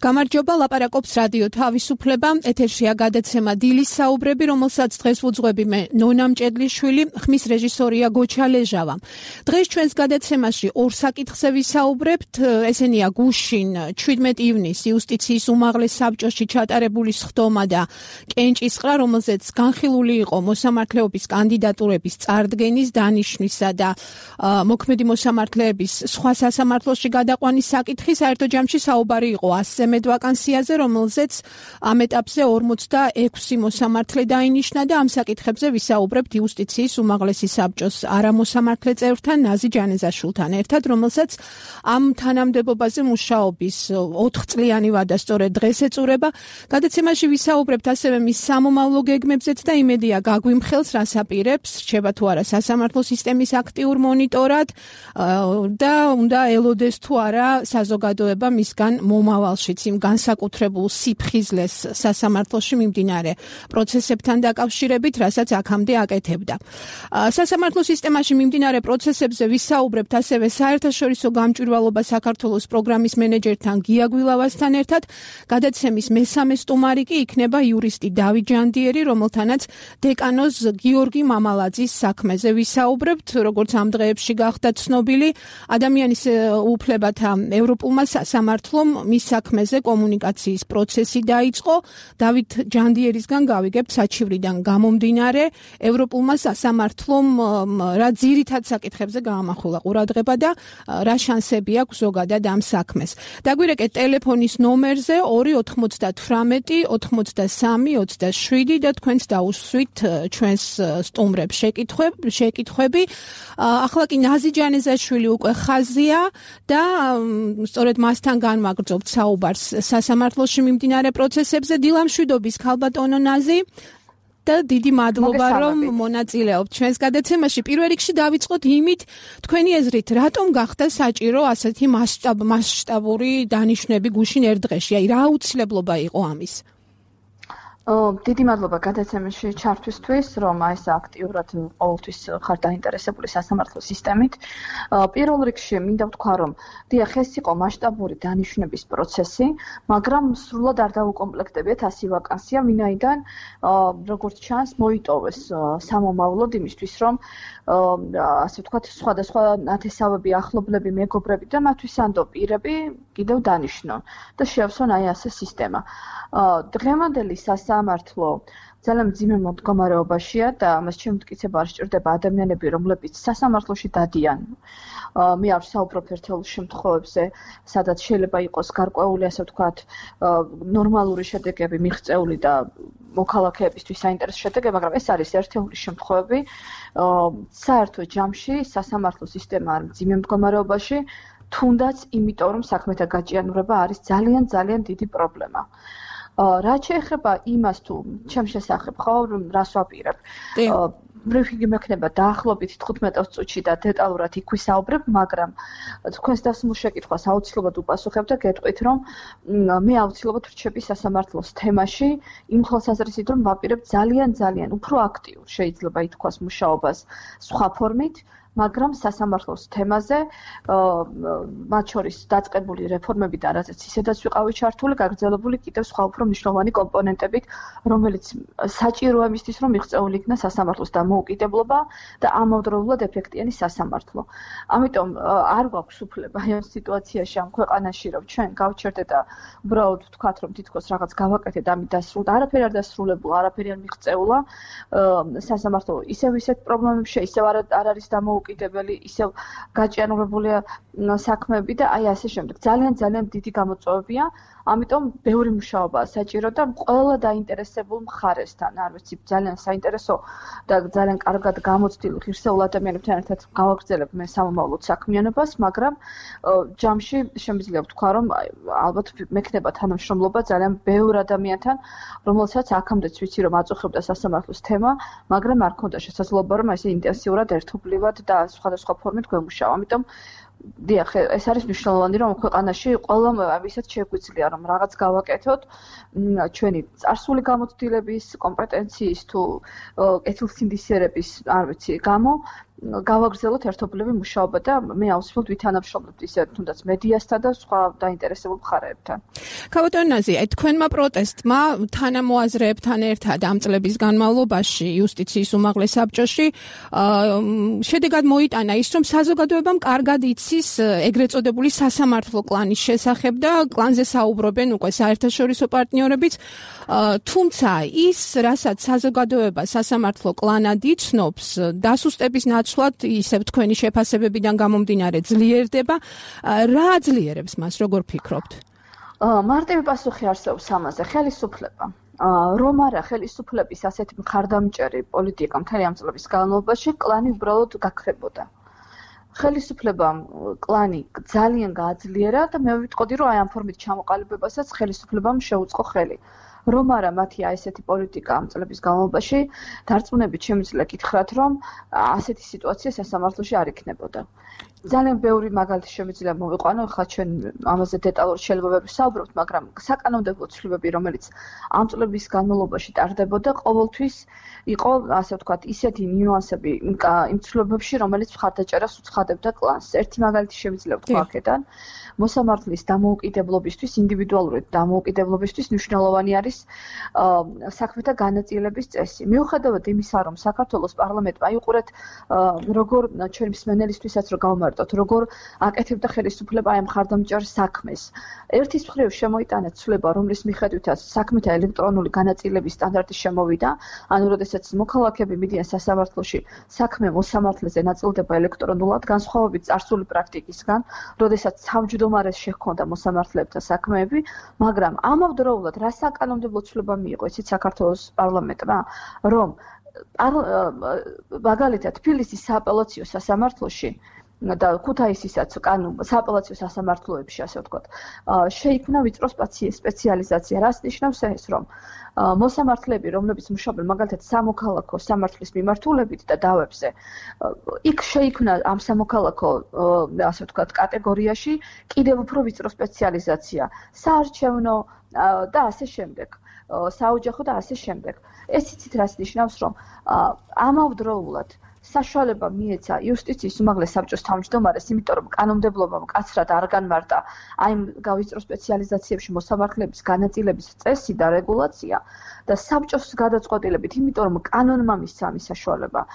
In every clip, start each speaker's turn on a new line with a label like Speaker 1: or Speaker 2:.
Speaker 1: გამარჯობა, ლაპარაკობს რადიო თავისუფლება, ეთერშია გადაცემა დილის საუბრები, რომელსაც დღეს ვუძღვები მე ნონა მჭედლიშვილი, ხმის რეჟისორია გოჩა ლეჟავა. დღეს ჩვენს გადაცემაში ორ საკითხზე ვისაუბრებთ, ესენია გუშინ 17 ივნისს იუსტიციის უმაღლეს საბჭოში ჩატარებული სხდომა და კენჭისყრა, რომელზეც განხილული იყო მოსამართლეობის კანდიდატურების წარდგენის, დანიშვნისა და მოქმედი მოსამართლეების სხვა სასამართლოში გადაყვანის საკითხი. საერთო ჯამში საუბარი იყო 100-ზე მეტ ვაკანსიაზე, რომელზეც ამ ეტაპზე 46 მოსამართლე დაინიშნა და ამ საკითხებზე ვისაუბრებთ იუსტიციის უმაღლესი საბჭოს არამოსამართლე წევრთან ნაზი ჯანეზაშვილთან ერთად, რომელსაც ამ თანამდებობაზე მუშაობის 4 წლიანი ვადა სწორედ დღეს ეწურება. გადაცემაში ვისაუბრებთ ასევე მის სამომავლო გეგმებზეც და იმედია გაგვიმხელს, რას აპირებს, რჩება თუ არა სასამართლო სისტემის აქტიურ მონიტორად და უნდა ელოდეს თუ არა საზოგადოება მისგან მომავალშიც იმ განსაკუთრებულ სიფხიზლეს სასამართლოში მიმდინარე პროცესებთან დაკავშირებით, რასაც აქამდე აკეთებდა. სასამართლო სისტემაში მიმდინარე პროცესებზე ვისაუბრებთ ასევე საერთაშორისო გამჭვირვალობა საქართველოს პროგრამის მენეჯერთან გია გვილავასთან ერთად. გადაცემის მესამე სტუმარი კი იქნება იურისტი დავით ჯანდიერი, რომელთანაც დეკანოზ გიორგი მამალაძის საქმეზე ვისაუბრებთ. როგორც ამ დღეებში გახდა ცნობილი, ადამიანის უფლებათა ევროპულმა სასამართლომ მის საქმეზე კომუნიკაციის პროცესი დაიწყო. დავით ჯანდიერისგან გავიგებთ საჩივრიდან გამომდინარე, ევროპულმა სასამართლომ რა ძირითად საკითხებზე გაამახვილა ყურადღება და რა შანსები აქვს ზოგადად ამ საქმეს. დაგვირეკეთ ტელეფონის ნომერზე 298 83 27 და თქვენც დაუსვით ჩვენს სტუმრებს შეკითხვები. ახლა კი ნაზი ჯანეზაშვილი უკვე ხაზია და სწორედ მასთან განვაგრძობთ საუბარს სასამართლოში მიმდინარე პროცესებზე. დილამშვიდობის ქალბატონო ნაზი და დიდი მადლობა რომ მონაწილეობთ ჩვენს გადაცემაში. პირველ რიგში დავიწყოთ იმით, თქვენი აზრით, რატომ გახდა საჭირო ასეთი მასშტაბური დანიშვნები გუშინ ერთ დღეში? აი, რა აუცილებლობა იყო ამის?
Speaker 2: დიდი მადლობა გადაცემაში ჩართვისთვის, რომ ეს აქტიურად ყოველთვის ხარ დაინტერესებული სასამართლო სისტემით. პირველ რიგში მინდა ვთქვა, რომ დიახ, ეს იყო მასშტაბური დანიშვნების პროცესი, მაგრამ სრულად არ დაუკომპლექტებიათ 100 ვაკანსია, ვინაიდან როგორც ჩანს, მოიტოვეს სამომავლოდ იმისთვის, რომ ასე ვთქვათ, სხვადასხვა ნათესავები, ახლობლები, მეგობრები და მათვისანდო პირები კიდევ დანიშნონ და შეავსონ აი ასე სისტემა. დღევანდელი სასამართლო ძალიან მძიმე მდგომარეობაშია და მას შემტკიცება არ სჭირდება ადამიანები, რომლებიც სასამართლოში დადიან. მე არ ვსაუბრობ ერთეულ შემთხვევებზე, სადაც შეიძლება იყოს გარკვეული, ასე ვთქვათ, ნორმალური შედეგები მიღწეული და მოქალაქეებისთვის საინტერესო შედეგები, მაგრამ ეს არის ერთეული შემთხვევები. საერთო ჯამში სასამართლო სისტემა არის მძიმე მდგომარეობაში, თუნდაც იმიტომ, რომ საქმეთა გაჭიანურება არის ძალიან დიდი პრობლემა. რაც შეეხება იმას, თუ ჩემს შესახებ ხო, რას ვაპირებ. ბრიფინგი მექნება დაახლოებით 15 წუთში და დეტალურად იქ ვისაუბრებ, მაგრამ თქვენს დასმულ შეკითხვას აუცილებლად უპასუხებ და გეტყვით, რომ მე აუცილებლად ვრჩები სასამართლოს თემაში, იმ ხალხაზრისით, რომ ვაპირებ ძალიან უფრო აქტიურ, შეიძლება ითქვას, მუშაობას სხვა ფორმით, მაგრამ სასამართლოს თემაზე, მათ შორის დაწყებული რეფორმები და რაზეც ისედაც ვიყავი ჩართული, გაგრძელებული კიდევ სხვა უფრო მნიშვნელოვანი კომპონენტებით, რომელიც საჭიროა იმისთვის, რომ მიღწეული იქნა სასამართლოს დამოუკიდებლობა და ამავდროულად ეფექტიანი სასამართლო. ამიტომ არ გვაქვს უფლება ამ სიტუაციაში, ამ ქვეყანაში, რომ ჩვენ გავჩერდეთ და უბრალოდ ვთქვათ, რომ თითქოს რაღაც გავაკეთეთ, ამით დასრულდა. არაფერი არ დასრულებულა, არაფერი არ მიღწეულა. სასამართლო ისევ ისეთ პრობლემებში, ისევ არ არის დამოუკიდებელი, ისევ გაჭიანურებულია საქმეები და აი ასე შემდეგ. ძალიან დიდი გამოწვევებია, ამიტომ ბევრი მუშაობაა საჭირო და ყველა დაინტერესებულ მხარესთან, არ ვიცი, ძალიან საინტერესო და ძალიან კარგად გამოცდილ ღირსეულ ადამიანებთან ერთად გავაგრძელებ მე სამომავლოდ საქმიანობას, მაგრამ ჯამში შემიძლია ვთქვა, რომ ალბათ მექნება თანამშრომლობა ძალიან ბევრ ადამიანთან, რომელსაც აქამდეც ვიცი, რომ აწუხებდა სასამართლოს თემა, მაგრამ არ ქონდა შესაძლებლობა, რომ ესე ინტენსიურად ერთობლივად და სხვადასხვა ფორმით გვემუშავა. ამიტომ დიახ, ეს არის მნიშვნელოვანი, რომ ქვეყანაში ყველამ ვისაც შეგვიძლია, რომ რაღაც გავაკეთოთ, ჩვენი წარსული გამოცდილების, კომპეტენციის თუ კეთილსინდისიერების, არ ვიცი, გამო გავაგრძელოთ ერთობლივი მუშაობა და მე აუცილებლად ვითანამშრომლებთ ისე თუნდაც მედიასთან და სხვა დაინტერესებულ მხარეებთან.
Speaker 1: ქავატონაზი, თქვენმა პროტესტმა თანამოაზრეებთან ერთად ამ წლების განმავლობაში იუსტიციის უმაღლეს საბჭოში შედეგად მოიტანა ის, რომ საზოგადოებამ კარგად იცის ეგრეთ წოდებული სასამართლო კლანის შესახებ და კლანზე საუბრობენ უკვე საერთაშორისო პარტნიორებიც, თუმცა ის, რასაც საზოგადოება სასამართლო კლანად იცნობს, დასუსტების ნაცვლად ისევ თქვენი შეფასებებიდან გამომდინარე ძლიერდება. რა აძლიერებს მას, როგორ ფიქრობთ?
Speaker 2: მარტივი პასუხი არსებობს ამაზე, ხელისუფლება. რომ არა ხელისუფლების ასეთი მხარდამჭერი პოლიტიკა მთელი ამ წლების განმავლობაში კლანი უბრალოდ გაქრებოდა. ხელისუფლებამ კლანი ძალიან გააძლიერა და მე ვიტყოდი, რომ აი ამ ფორმით ჩამოყალიბებასაც ხელისუფლებამ შეუწყო ხელი. რომ არა მათი ესეთი პოლიტიკა ამ წლების განმავლობაში დარწმუნებით შემიძლია გითხრათ, რომ ასეთი სიტუაცია სასამართლოში არ იქნებოდა. ძალიან ბევრი მაგალითი შემიძლია მოვიყვანო, ხა ჩვენ ამაზე დეტალურად შეიძლება ვერ ვსაუბრობთ, მაგრამ საკანონმდებლო ცვლილებები, რომელიც ამ წლების განმავლობაში ტარდებოდა, ყოველთვის იყო, ასე ვთქვათ, ისეთი ნიუანსები იმ ცვლილებებში, რომელიც მხარდაჭერას უცხადებდა კლანს. ერთი მაგალითი შემიძლია ვთქვა აქედან. მოსამართლის დამოუკიდებლობისთვის, ინდივიდუალური დამოუკიდებლობისთვის მნიშვნელოვანი არის საქმეთა განაწილების წესი. მიუხედავად იმისა, რომ საქართველოს პარლამენტმა აიყურეთ როგორ ჩვენი მსმენელისთვისაც რომ გავმარტოთ, როგორ აკეთებდა ხელისუფლება აი მხარდამჭერ საქმეს. ერთის მხრივ შემოიტანა ცვლილება, რომლის მიხედვითაც საქმეთა ელექტრონული განაწილების სტანდარტი შემოვიდა, ანუ როდესაც მოქალაქეები მიდიან სასამართლოში, საქმე მოსამართლეზე ნაწილდება ელექტრონულად, განსხვავებით წარსული პრაქტიკისგან, როდესაც თავმჯდომარეს შეჰქონდა მოსამართლეებთან საქმეები, მაგრამ ამავდროულად რა საკანონმდებლო ცვლილება მიიღო ისიც საქართველოს პარლამენტმა, რომ მაგალითად თბილისის სააპელაციო სასამართლოში და ქუთაისისაც სააპელაციო სასამართლოებში, ასე ვთქვათ, შეიქმნა ვიწრო სპეციალიზაცია. რას ნიშნავს ეს, რომ მოსამართლეები, რომლებიც მუშაობენ მაგალითად სამოქალაქო სამართლის მიმართულებით და დავებზე, იქ შეიქმნა ამ სამოქალაქო, ასე ვთქვათ, კატეგორიაში კიდევ უფრო ვიწრო სპეციალიზაცია. საარჩევნო და ასე შემდეგ. საოჯახო და ასე შემდეგ. ეს იცით რას ნიშნავს, რომ ამავდროულად საშუალება მიეცა იუსტიციის უმაღლეს საბჭოს თავმჯდომარეს, იმიტომ რომ კანონმდებლობამ მკაცრად არ განმარტა აი გავიწრო სპეციალიზაციებში მოსამართლეების განაწილების წესი და რეგულაცია და საბჭოს გადაწყვეტილებით, იმიტომ რომ კანონმა მისცა ამის საშუალება.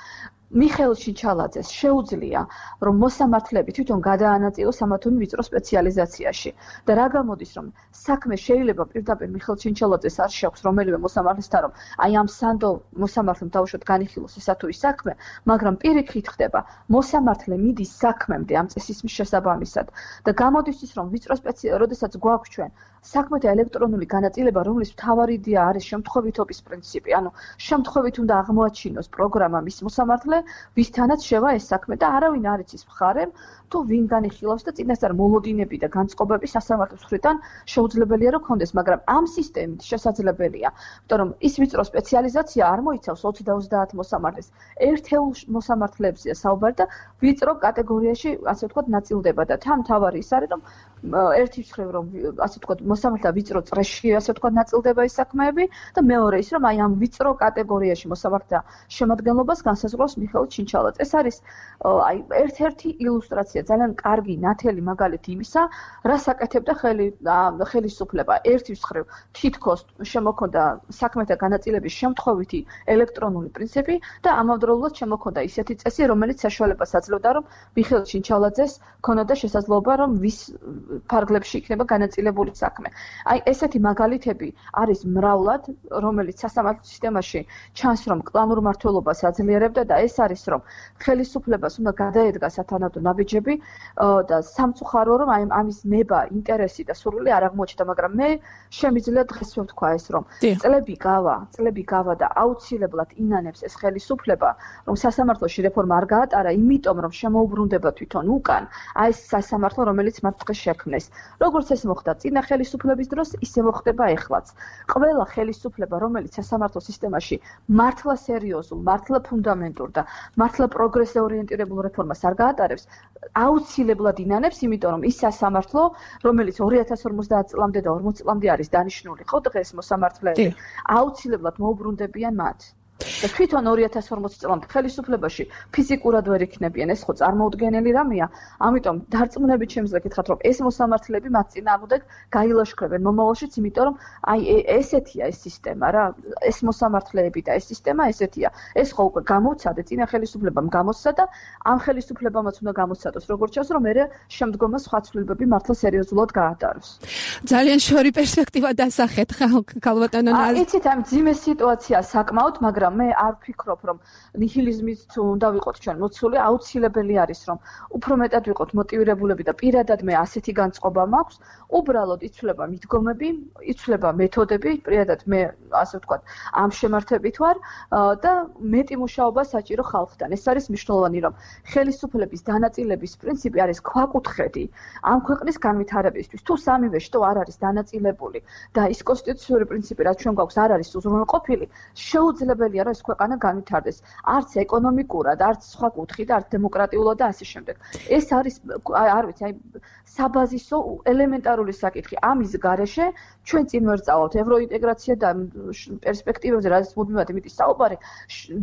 Speaker 2: მიხეილ ჩინჩალაძეს შეუძლია, რომ მოსამართლეები თვითონ გადაანაწილოს ამა თუ იმ ვიწრო სპეციალიზაციაში და რა გამოდის, რომ საქმე შეიძლება პირდაპირ მიხეილ ჩინჩალაძეს არ შეაქვს რომელიმე მოსამართლესთან, რომ აი ამ სანდო მოსამართლემ დავუშვათ განიხილოს ესა თუ ის საქმე, მაგრამ პირიქით ხდება, მოსამართლე მიდის საქმემდე ამ წესის შესაბამისად და გამოდის ის, რომ ვიწრო როდესაც გვაქვს ჩვენ საქმეთა ელექტრონული განაწილება, რომლის მთავარი იდეა არის შემთხვევითობის პრინციპი, ანუ შემთხვევით უნდა აღმოაჩინოს პროგრამა მის მოსამართლე, ვისთანაც შევა ეს საქმე და არავინ არ იცის მხარემ თუ ვინ განიხილავს და წინასწარ მოლოდინები და განწყობები სასამართლოს მხრიდან შეუძლებელია რომ ქონდეს, მაგრამ ამ სისტემით შესაძლებელია, იმიტომ რომ ის ვიწრო სპეციალიზაცია არ მოიცავს 20-30 მოსამართლეს, ერთეულ მოსამართლეებზეა საუბარი და ვიწრო კატეგორიაში, ასე ვთქვათ, ნაწილდება და თან თავარი ის არის, რომ ერთი მხრივ რომ ასე ვთქვათ, მოსამართლე ვიწრო წრეში, ასე ვთქვათ, ნაწილდება ეს საქმეები და მეორე ის, რომ აი ამ ვიწრო კატეგორიაში მოსამართლეთა შემადგენლობას განსაზღვრავს მიხეილ ჩინჩალაძე. ეს არის აი ერთ-ერთი ილუსტრაცია, ძალიან კარგი ნათელი მაგალითი იმისა, რას აკეთებდა ხელისუფლება. ერთის მხრივ თითქოს შემოქონდა საქმეთა განაწილების შემთხვევითი ელექტრონული პრინციპი და ამავდროულად შემოქონდა ისეთი წესი, რომელიც საშუალებას აძლევდა, რომ მიხეილ ჩინჩალაძეს ქონოდა შესაძლებლობა, რომ ვის ფარგლებში იქნება განაწილებული საქმე. აი ესეთი მაგალითები არის მრავლად, რომელიც სასამართლო სისტემაში ჩანს, რომ კლანურ მმართველობას აძლიერებდა და ეს არის, რომ ხელისუფლებას უნდა გადაედგა სათანადო ნაბიჯები და სამწუხარო, რომ აი ამის ნება, ინტერესი და სურვილი არ აღმოჩნდა, მაგრამ მე შემიძლია დღეს ვთქვა ეს, რომ წლები გავა და აუცილებლად ინანებს ეს ხელისუფლება, რომ სასამართლოში რეფორმა არ გაატარა, იმიტომ რომ შემოუბრუნდება თვითონ უკან აი ეს სასამართლო, რომელიც მათ დღეს შექმნეს. როგორც ეს მოხდა წინა ხელისუფლების დროს, ისე მოხდება ეხლაც. ყველა ხელისუფლება, რომელიც სასამართლო სისტემაში მართლა სერიოზულ, მართლა ფუნდამენტურ და მართლა პროგრესზე ორიენტირებულ რეფორმას არ გაატარებს, აუცილებლად ინანებს, იმიტომ რომ ის სასამართლო, რომელიც 2050 წლამდე და 40 წლამდე არის დანიშნული, ხო დღეს მოსამართლეები, აუცილებლად მოუბრუნდებიან მათ. და თვითონ 2040 წლამდე ხელისუფლებაში ფიზიკურად ვერ იქნებიან, ეს ხო წარმოუდგენელი რამეა. ამიტომ დარწმუნებით შემიძლია გითხრათ, რომ ეს მოსამართლეები მათ წინააღმდეგ გაილაშქრებენ მომავალშიც, იმიტომ რომ აი ესეთია ეს სისტემა რა, ეს მოსამართლეები და ეს სისტემა ესეთია. ეს ხო უკვე გამოცადა, წინა ხელისუფლებამ გამოსცადა, ამ ხელისუფლებამაც უნდა გამოსცადოს, როგორც ჩანს, რომ მერე შემდგომა სხვა ცვლილებები მართლა სერიოზულად გაატაროს.
Speaker 1: ძალიან შორი პერსპექტივა დასახეთ ქალბატონო ნაზი.
Speaker 2: იცით, ამ ძიმე სიტუაცია საკმაოდ, მაგრამ მე არ ვფიქრობ, რომ ნიჰილიზმით უნდა ვიყოთ ჩვენ მოცული, აუცილებელი არის, რომ უფრო მეტად ვიყოთ მოტივირებულები და პირადად მე ასეთი განწყობა მაქვს, უბრალოდ იცვლება მიდგომები, იცვლება მეთოდები, პირადად მე ასე ვთქვათ, ამ შემართებით ვარ და მეტი მუშაობა საჭირო ხალხთან. ეს არის მნიშვნელოვანი, რომ ხელისუფლების დანაწილების პრინციპი არის ქვაკუთხედი ამ ქვეყნის განვითარებისთვის. თუ სამივე შტო არ არის დანაწილებული და ის კონსტიტუციური პრინციპი, რაც ჩვენ გვაქვს, არ არის უზრუნველყოფილი, შეუძლებელია, რომ ეს ქვეყანა განვითარდეს. არც ეკონომიკურად, არც სხვა კუთხით, არც დემოკრატიულად და ასე შემდეგ. ეს არის, არ ვიცი, აი საბაზისო ელემენტარული საკითხი. ამის გარეშე ჩვენ წინ ვერ წავავთ ევროინტეგრაცია და პერსპექტივებზე, რაც მუდმივად იმითი საუბარი,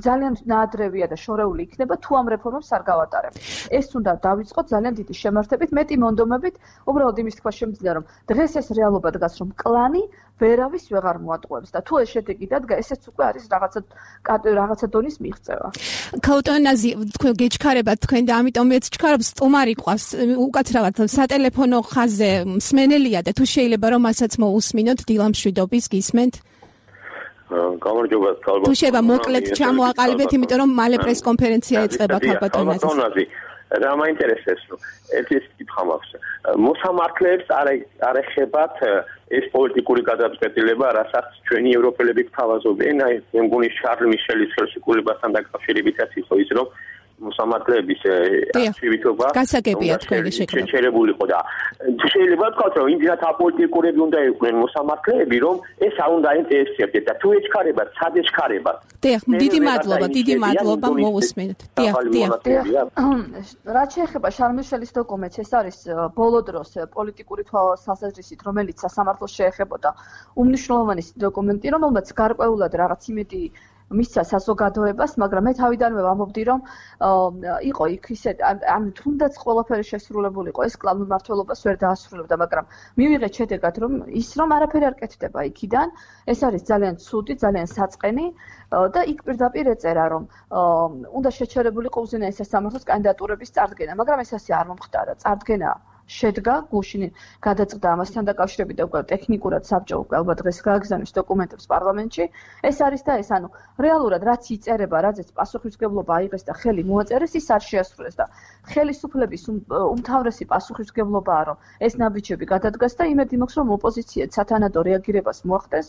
Speaker 2: ძალიან ნაადრევია და შორეული იქნება, თუ ამ რეფორმებს არ გავატარებთ. ეს უნდა დავიწყოთ ძალიან დიდი შემართებით, მეტი მონდომებით, უბრალოდ იმის თქვა შემიძლია, რომ დღეს ეს რეალობა დგას, რომ კლანი ვერავის ვეღარ მოატყუებს და თუ ეს შედეგი დადგა, ესეც უკვე არის რაღაცა დონის მიღწევა.
Speaker 1: ქალბატონო ნაზი, თქვენ გეჩქარებათ თქვენ და ამიტომ მეც ჩქარობ სტუმარი ყავს უკაცრავად სატელეფონო ხაზზე მსმენელია და თუ შეიძლება რომ მასაც მოусმინოთ დილა მშვიდობის გისმენთ.
Speaker 3: გამარჯობა ქალბატონო.
Speaker 1: თუ შეიძლება მოკლედ ჩამოაყალიბეთ, იმიტომ რომ მალე პრესკონფერენცია ეწყება ქალბატონო ნაზი.
Speaker 3: რა მაინტერესებს, რომ ეს კითხვა მაქვს. მოსამართლეებს არ ეხებათ ეს პოლიტიკური გადაწყვეტილება, რასაც ჩვენი ევროპელები გთავაზობენ, აი მე მგონი შარლ მიშელის ხელშეკრულებასთან დაკავშირებითაც იყო ის, რომ მოსამართლეების აქტივობა
Speaker 1: გასაგებია თქვენი შეკრება.
Speaker 3: შეჩერებულიყო და შეიძლება ვთქვათ, რომ იმდენად აპოლიტიკურები უნდა იყვნენ მოსამართლეები, რომ ეს არ უნდა ინტერესებდეთ და თუ ეჩქარებათ, სად ეჩქარებათ.
Speaker 1: დიახ, დიდი მადლობა მოусმინოთ. დიახ.
Speaker 2: რაც შეეხება შარლ მიშელის დოკუმენტს, ეს არის ბოლო დროს პოლიტიკური თვალსაზრისით, რომელიც სასამართლოს შეეხებოდა უმნიშვნელოვანესი დოკუმენტი, რომელმაც გარკვეულად რაღაც იმედი მისცა საზოგადოებას, მაგრამ მე თავიდანვე ვამბობდი, რომ იყო იქ ისე, ანუ თუნდაც ყველაფერი შესრულებულიყო, ეს კლავ მმართველობას ვერ დაასრულებდა, მაგრამ მივიღეთ შედეგად, რომ ის რომ არაფერი არ კეთდება იქიდან, ეს არის ძალიან ცუდი, ძალიან საწყენი და იქ პირდაპირ ეწერა, რომ უნდა შეჩერებულიყო უზენაეს სასამართლოს კანდიდატურების წარდგენა, მაგრამ ეს ასე არ მომხდარა, წარდგენა შედგა გუშინ გადაწყდა ამასთან დაკავშირებით და უკვე ტექნიკურად საბჭო უკვე ალბათ დღეს გააგზავნის დოკუმენტებს პარლამენტში. ეს არის და ეს, ანუ რეალურად რაც იწერება, რაზეც პასუხისმგებლობა აიღეს და ხელი მოაწერეს, ის არ შეასრულეს და ხელისუფლების უმთავრესი პასუხისმგებლობაა, რომ ეს ნაბიჯები გადადგას და იმედი მაქვს, რომ ოპოზიციაც სათანადო რეაგირებას მოახდენს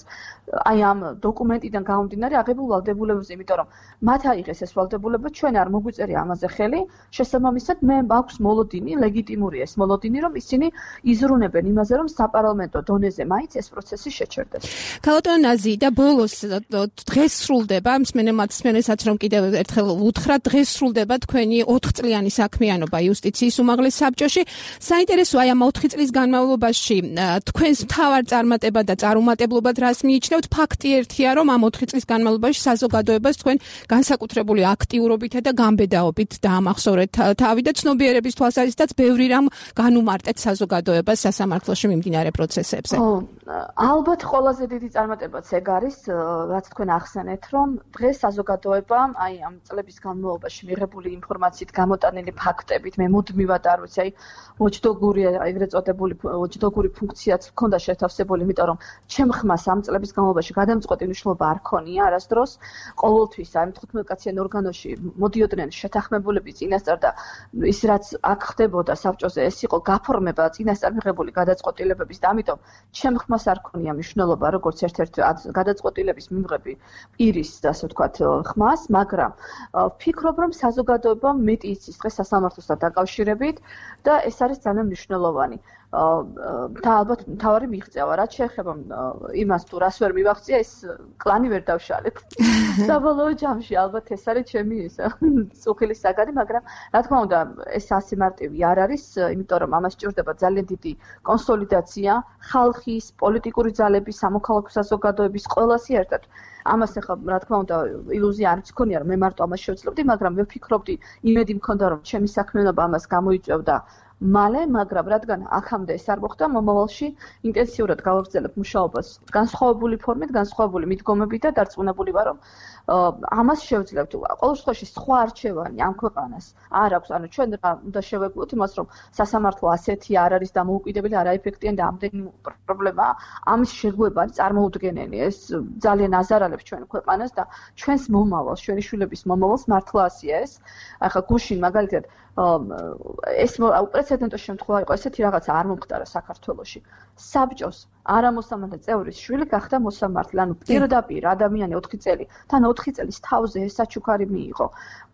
Speaker 2: აი ამ დოკუმენტიდან გამომდინარე აღებულ ვალდებულებებზე, იმიტომ რომ მათ აიღეს ეს ვალდებულება, ჩვენ არ მოგვიწერია ამაზე ხელი, შესაბამისად მე მაქვს მოლოდინი, ლეგიტიმური ეს მოლოდინი, რომ ისინი იზრუნებენ იმაზე, რომ საპარლამენტო დონეზე მაინც ეს პროცესი შეჩერდეს.
Speaker 1: ქალბატონო ნაზი და ბოლოს დღეს სრულდება, მსმენელსაც რომ კიდევ ერთხელ უთხრათ, დღეს სრულდება თქვენი 4 წლიანი საქმიანობა იუსტიციის უმაღლეს საბჭოში. საინტერესოა აი ამ 4 წლის განმავლობაში თქვენს მთავარ წარმატებად და წარუმატებლობად რას მიიჩნევთ? ფაქტი ერთია, რომ ამ 4 წლის განმავლობაში საზოგადოებას თქვენ განსაკუთრებული აქტიურობითა და გამბედაობით დაამახსოვრეთ თავი და ცნობიერების თვალსაზრისითაც ბევრი რამ განუმარტეთ საზოგადოებას სასამართლოში მიმდინარე პროცესებზე.
Speaker 2: ალბათ ყველაზე დიდი წარმატებაც ეგ არის, რაც თქვენ ახსენეთ, რომ დღეს საზოგადოებამ აი ამ წლების განმავლობაში მიღებული ინფორმაციით, გამოტანილი ფაქტებით, მე მუდმივად არ ვიცი, აი ვოჩდოგური ეგრეთ წოდებული ვოჩდოგური ფუნქციაც ჰქონდა შეთავსებული, იმიტომ რომ ჩემ ხმას ამ წლების განმავლობაში გადამწყვეტი მნიშვნელობა არ ქონია არასდროს. ყოველთვის აი 15-კაციან ორგანოში მოდიოდნენ შეთანხმებულები წინასწარ და ის რაც აქ ხდებოდა საბჭოზე, ეს იყო გაფორმება წინასწარ მიღებული გადაწყვეტილებების და ამიტომ ჩემ ხმას არ ქონია მნიშვნელობა როგორც ერთ-ერთი გადაწყვეტილების მიმღები პირის, ასე ვთქვათ, ხმას, მაგრამ ვფიქრობ, რომ საზოგადოებამ მეტი იცის დღეს სასამართლოსთან დაკავშირებით და ეს არის ძალიან მნიშვნელოვანი. და ალბათ მთავარი მიღწევა, რაც შეეხება იმას თუ რას ვერ მივაღწია, ეს კლანი ვერ დავშალეთ. საბოლოო ჯამში ალბათ ეს არის ჩემი წუხილი საგანი, მაგრამ რა თქმა უნდა, ეს ასე მარტივი არ არის, იმიტომ რომ ამას სჭირდება ძალიან დიდი კონსოლიდაცია, ხალხის, პოლიტიკური ძალების, სამოქალაქო საზოგადოების ყველასი ერთად. ამას ახლა რა თქმა უნდა ილუზია არც მქონია რომ მე მარტო ამას შევძლებდი, მაგრამ მე ვფიქრობდი, იმედი მქონდა რომ ჩემი საქმიანობა ამას გამოიწვევდა მალე, მაგრამ რადგან აქამდე ეს არ მოხდა, მომავალში ინტენსიურად გავაგრძელებ მუშაობას განსხვავებული ფორმით, განსხვავებული მიდგომებით და დარწმუნებული ვარ, რომ ამას შევძლებთ. ყოველ შემთხვევაში სხვა არჩევანი ამ ქვეყანას არ აქვს. ანუ ჩვენ რა უნდა შევეგულოთ იმას, რომ სასამართლო ასეთი არ არის დამოუკიდებელი, არაეფექტიანი და ამდენი პრობლემაა. ამის შეგუება არის წარმოუდგენელი. ეს ძალიან აზარალებს ჩვენ ქვეყანას და ჩვენს მომავალს, ჩვენი შვილების მომავალს მართლა ასია ეს. ახლა გუშინ მაგალითად ეს უპრეცედენტო შემთხვევა იყო, ესეთი რაღაცა არ მომხდარა საქართველოში. საბჭოს არამოსამართლე წევრის შვილი გახდა მოსამართლე, ანუ პირდაპირ ადამიანი 4 წელი, თან 4 წელის თავზე ეს საჩუქარი მიიღო.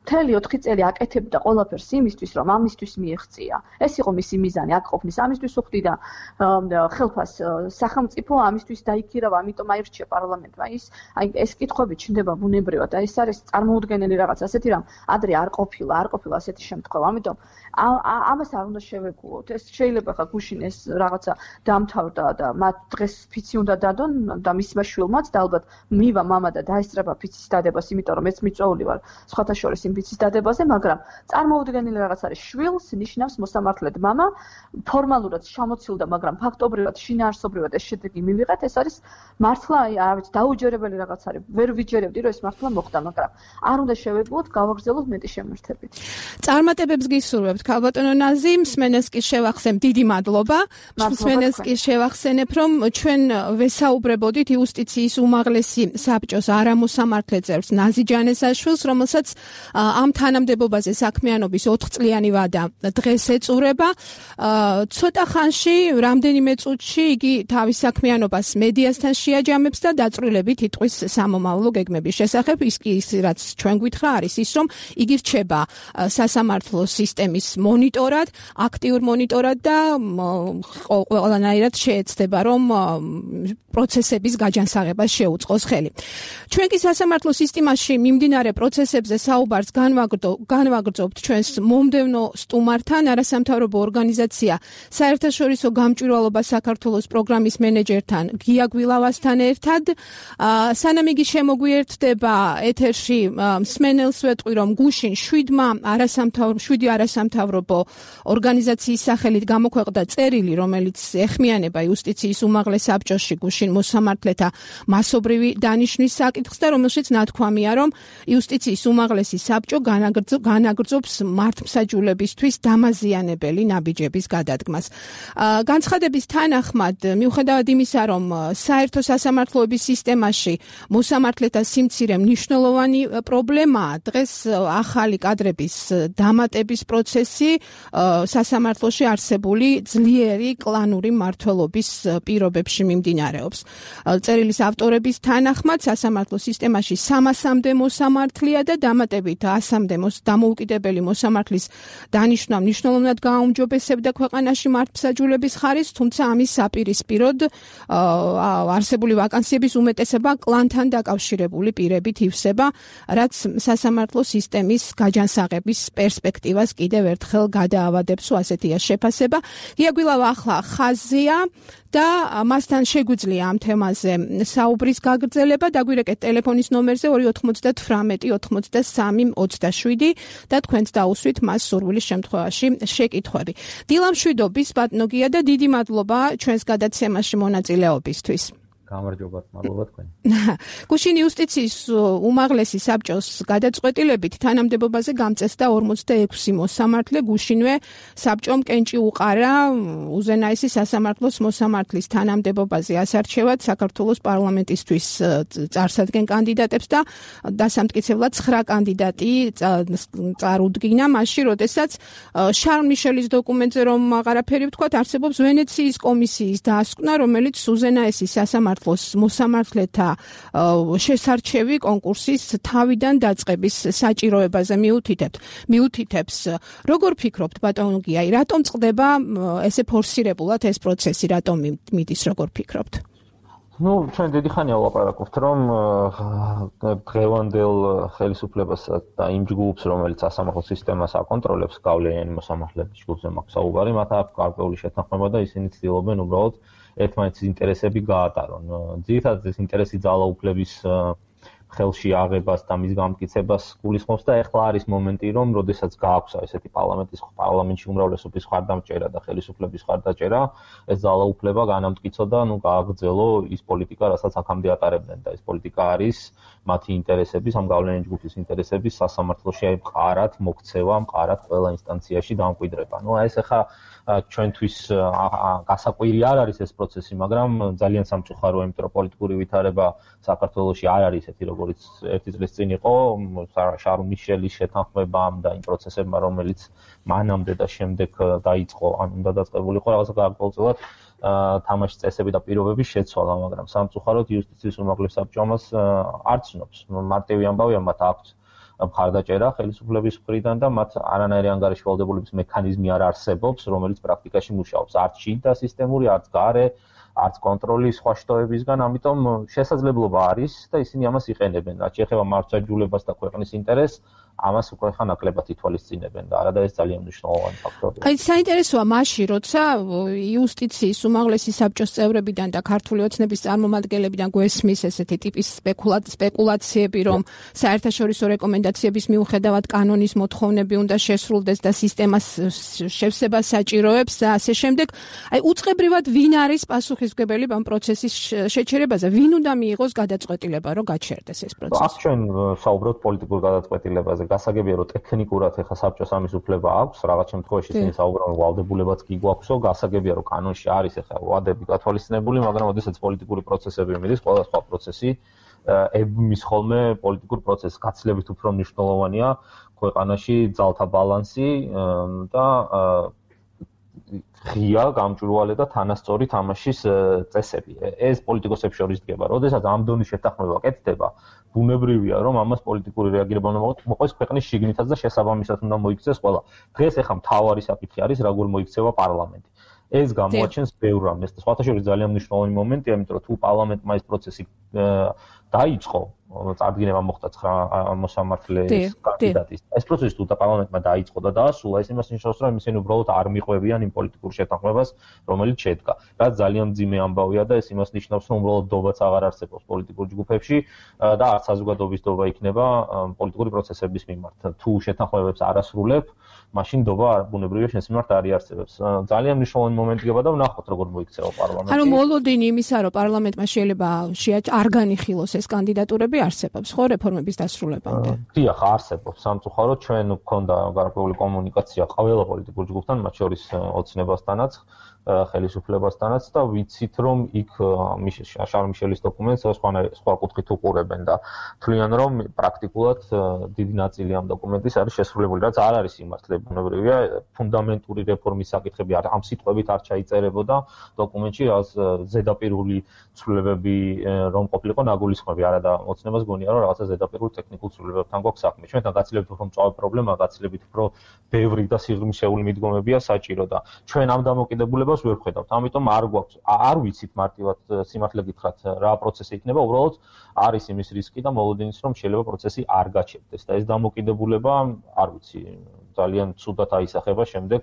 Speaker 2: მთელი 4 წელი აკეთებდა ყველაფერს იმისთვის, რომ ამისთვის მიეღწია. ეს იყო მისი მიზანი, აქ ყოფნის ამისთვის უხდი და ხელფას სახელმწიფო ამისთვის დაიქირავა, ამიტომ აირჩია პარლამენტმა. ეს კითხვები ჩნდება ბუნებრივად და ეს არის წარმოუდგენელი რაღაც, ასეთი რამ ადრე არ ყოფილა ასეთი შემთხვევა. ამიტომ ამას არ უნდა შევეგულოთ. ეს შეიძლება ხა გუშინ ეს რაღაცა დამთავრდა და მათ დღეს ფიცი უნდა დადონ და მისმა შვილმაც და ალბათ მივა მამა და დაესწრება ფიცის დადებას, იმიტომ რომ მეც მიწვეული ვარ სხვათა შორის იმ ფიცის დადებაზე, მაგრამ წარმოუდგენელი რაღაც არის. შვილს ნიშნავს მოსამართლედ მამა, ფორმალურად შემოცილდა, მაგრამ ფაქტობრივად შინაარსობრივად ეს შედეგი მივიღეთ. ეს არის მართლა რა ვიცი, დაუჯერებელი რაღაც არის. ვერ ვიჯერებდი, რომ ეს მართლა მოხდა, მაგრამ არ უნდა შევეგულოთ, გავაგრძელოთ მეტი შემართებით.
Speaker 1: წარმატებებს გისურვებთ, ქალბატონო ნაზი, მსმენელს კი შევახსენებ, დიდი მადლობა. მსმენელს კი შევახსენებ, რომ ჩვენ ვესაუბრებოდით იუსტიციის უმაღლესი საბჭოს არამოსამართლე წევრს ნაზი ჯანესაშვილს, რომელსაც ამ თანამდებობაზე საქმიანობის 4 წლიანი ვადა დღეს ეწურება. ცოტა ხანში, რამდენიმე წუთში იგი თავის საქმიანობას მედიასთან შეაჯამებს და დაწვრილებით იტყვის სამომავლო გეგმების შესახებ. ის რაც ჩვენ გვითხრა არის ის, რომ იგი რჩება სასამართლო სისტემის მონიტორად, აქტიურ მონიტორად და ყველანაირად შეეცდება, რომ პროცესების გაჯანსაღებას შეუწყოს ხელი. ჩვენ კი სასამართლო სისტემაში მიმდინარე პროცესებზე საუბარს განვაგრძობთ ჩვენს მომდევნო სტუმართან, არასამთავრობო ორგანიზაცია საერთაშორისო გამჭვირვალობა საქართველოს პროგრამის მენეჯერთან გია გვილავასთან ერთად. სანამ იგი შემოგვიერთდება ეთერში, მსმენელს ვეტყვი, რომ გუშინ 7 არასამთავრობო ორგანიზაციის სახელით გამოქვეყნდა წერილი, რომელიც ეხმიანება იუსტიციის უმაღლეს საბჭოში გუშინ მოსამართლეთა მასობრივი დანიშვნის საკითხს და რომელშიც ნათქვამია, რომ იუსტიციის უმაღლესი საბჭო განაგრძობს მართლმსაჯულებისთვის დამაზიანებელი ნაბიჯების გადადგმას. განცხადების თანახმად, მიუხედავად იმისა, რომ საერთო სასამართლოების სისტემაში მოსამართლეთა სიმცირე მნიშვნელოვანი პრობლემაა, დღეს ახალი კადრების დამატების პროცესი სასამართლოში არსებული ძლიერი კლანური მმართველობის პირობებში მიმდინარეობს. წერილის ავტორების თანახმად, სასამართლო სისტემაში 300-მდე მოსამართლეა და დამატებით 100-მდე დამოუკიდებელი მოსამართლის დანიშვნა მნიშვნელოვნად გააუმჯობესებდა ქვეყანაში მართლმსაჯულების ხარისხს, თუმცა ამის საპირისპიროდ არსებული ვაკანსიების უმეტესობა კლანთან დაკავშირებული პირებით ივსება, რაც სასამართლო სისტემის გაჯანსაღების პერსპექტივას კიდევ ერთხელ გადაავადებს, ასეთია შეფასება. გია გვილავა ახლა ხაზია და მასთან შეგვიძლია ამ თემაზე საუბრის გაგრძელება. დაგვირეკეთ ტელეფონის ნომერზე 298-93-27 და თქვენც დაუსვით მას სურვილის შემთხვევაში შეკითხვები. დილამშვიდობის ბატონო გია და დიდი მადლობა ჩვენს გადაცემაში მონაწილეობისთვის.
Speaker 4: გამარჯობა, მადლობა თქვენ.
Speaker 1: გუშინ იუსტიციის უმაღლესი საბჭოს გადაწყვეტილებით თანამდებობაზე გამწესდა 46 მოსამართლე. გუშინვე საბჭომ კენჭი უყარა უზენაესი სასამართლოს მოსამართლის თანამდებობაზე ასარჩევად საქართველოს პარლამენტისთვის წარსადგენ კანდიდატებს და დასამტკიცებლად 9 კანდიდატი წარუდგინა მაშინ, როდესაც შარლ მიშელის დოკუმენტზე რომ აღარაფერი ვთქვათ, არსებობს ვენეციის კომისიის დასკვნა, რომელიც უზენაესი სასამართლოს სამართლოს მოსამართლეთა შესარჩევი კონკურსის თავიდან დაწყების საჭიროებაზე მიუთითებს. Როგორ ფიქრობთ, ბატონო გია, რატომ წყდება ესე ფორსირებულად ეს პროცესი, რატომ მიდის, როგორ ფიქრობთ?
Speaker 4: ჩვენ დიდი ხანია ვლაპარაკობთ, რომ დღევანდელ ხელისუფლებას და იმ ჯგუფს, რომელიც სასამართლო სისტემას აკონტროლებს, გავლენიანი მოსამართლეების ჯგუფზე მაქვს საუბარი, მათ აქვს გარკვეული შეთანხმება და ისინი ცდილობენ უბრალოდ ერთმანეთის ინტერესები გაატარონ. ძირითადად ეს ინტერესი ძალაუფლების ხელში აღებას და მის გამტკიცებას გულისხმობს და ეხლა არის მომენტი, რომ როდესაც გააქვს ესეთი პარლამენტში უმრავლესობის ხარდამჭერა და ხელისუფლების ხარდაჭერა, ეს ძალაუფლება განამტკიცო და გააგრძელო ის პოლიტიკა, რასაც აქამდე ატარებდნენ და ეს პოლიტიკა არის მათი ინტერესების, ამ გავლენიანი ჯგუფის ინტერესების სასამართლოში მყარად მოქცევა, მყარად ყველა ინსტანციაში დამკვიდრება. ეს ახლა ჩვენთვის გასაკვირი არ არის ეს პროცესი, მაგრამ ძალიან სამწუხაროა, იმიტომ რომ პოლიტიკური ვითარება საქართველოში არ არის ესეთი, როგორც ერთი წლის წინ იყო შარლ მიშელის შეთანხმებამ და იმ პროცესებმა, რომელიც მანამდე და შემდეგ დაიწყო, ან უნდა დაწყებულიყო რაღაცა გარკვეულწილად თამაშის წესები და პირობების შეცვალა, მაგრამ სამწუხაროდ იუსტიციის უმაღლეს საბჭო ამას არ ცნობს. მარტივი ამბავია, მათ აქვს მხარდაჭერა ხელისუფლების მხრიდან და მათ არანაირი ანგარიში ვალდებულების მექანიზმი არ არსებობს, რომელიც პრაქტიკაში მუშაობს. არც შიდა სისტემური, არც გარე, არც კონტროლის სხვა შტოებისგან, ამიტომ შესაძლებლობა არის და ისინი ამას იყენებენ. რაც შეეხება მართლმსაჯულებას და ქვეყნის ინტერესს, ამას უკვე ხან ნაკლებად ითვალისწინებენ და არადა ეს ძალიან მნიშვნელოვანი ფაქტორია.
Speaker 1: აი საინტერესოა მაშინ, როცა იუსტიციის უმაღლესი საბჭოს წევრებიდან და ქართული ოცნების წარმომადგენლებიდან გვესმის ესეთი ტიპის სპეკულაციები, რომ საერთაშორისო რეკომენდაციების მიუხედავად კანონის მოთხოვნები უნდა შესრულდეს და სისტემას შევსება საჭიროებს და ასე შემდეგ. აი უწყებრივად ვინ არის პასუხისმგებელი ამ პროცესის შეჩერებაზე? ვინ უნდა მიიღოს გადაწყვეტილება, რომ გაჩერდეს ეს პროცესი?
Speaker 4: აქ ჩვენ საუბრობთ პოლიტიკურ გადაწყვეტილებაზე. გასაგებია, რომ ტექნიკურად ეხა საბჭოს ამის უფლება აქვს, რაღაც შემთხვევაში ისინი საუბრობენ, რომ ვალდებულებაც კი გვაქვსო, გასაგებია, რომ კანონში არის ეხა ვადები გათვალისწინებული, მაგრამ ოდესაც პოლიტიკური პროცესები მიდის, ყველა სხვა პროცესი ებმის ხოლმე პოლიტიკურ პროცესს. გაცილებით უფრო მნიშვნელოვანია ქვეყანაში ძალთა ბალანსი და ღია, გამჭვირვალე და თანასწორი თამაშის წესები. ეს პოლიტიკოსებს შორის დგება. როდესაც ამ დონის შეთანხმება კეთდება, ბუნებრივია, რომ ამას პოლიტიკური რეაგირება უნდა მოყოს ქვეყნის შიგნითაც და შესაბამისად უნდა მოიქცეს ყველა. დღეს ახლა მთავარი საკითხი არის, როგორ მოიქცევა პარლამენტი. ეს გამოაჩენს ბევრ რამეს და სხვათა შორის ძალიან მნიშვნელოვანი მომენტია, იმიტომ რომ თუ პარლამენტმა ეს პროცესი დაიწყო, წარდგინება მოხდა 9 მოსამართლეს კანდიდატის. ეს პროცესი თუ პარლამენტმა დაიწყო და დაასრულა, ეს იმას ნიშნავს, რომ ისინი უბრალოდ არ მიყვებიან იმ პოლიტიკურ შეთანხმებას, რომელიც შედგა. რაც ძალიან მძიმე ამბავია და ეს იმას ნიშნავს, რომ უბრალოდ დობაც აღარ არსებობს პოლიტიკურ ჯგუფებში და არც საზოგადოების დობა იქნება პოლიტიკური პროცესების მიმართ. თუ შეთანხმებებს არ ასრულებ, მაშინ დობა ბუნებრივია შენს მიმართ არ იარსებებს. ძალიან მნიშვნელოვანი მომენტი გება და ვნახოთ როგორ მოიქცევა პარლამენტი.
Speaker 1: ანუ მოლოდინი იმისა, რომ პარლამენტმა შეიძლება არ განიხილოს ეს კანდიდატურები არსებობს ხო რეფორმების დასრულებამდე?
Speaker 4: დიახ, არსებობს. სამწუხაროდ ჩვენ გვქონდა გარკვეული კომუნიკაცია ყველა პოლიტიკურ ჯგუფთან, მათ შორის ოცნებასთანაც, ხელისუფლებასთანაც და ვიცით, რომ იქ შარლ მიშელის დოკუმენტს სხვა კუთხით უყურებენ და თვლიან, რომ პრაქტიკულად დიდი ნაწილი ამ დოკუმენტის არის შესრულებული, რაც არ არის სიმართლე. ბუნებრივია, ფუნდამენტური რეფორმის საკითხები ამ სიტყვებით არ ჩაიწერებოდა დოკუმენტში, რაც ზედაპირული ცვლილებები რომ ყოფილიყო ნაგულისხმები, არადა ოცნებას გონია, რომ რაღაცა ზედაპირულ ტექნიკურ ცვლილებებთან გვაქვს საქმე. ჩვენთან გაცილებით უფრო მწვავე პრობლემა, გაცილებით უფრო ბევრი და სიღრმისეული მიდგომებია საჭირო და ჩვენ ამ დამოკიდებულებას ვერ ხედავთ. ამიტომ არ ვიცით მარტივად სიმართლე გითხრათ რა პროცესი იქნება, უბრალოდ არის იმის რისკი და მოლოდინის რომ შეიძლება პროცესი არ გაჩერდეს და ეს დამოკიდებულება არ ვიცი ძალიან ცუდად აისახება შემდეგ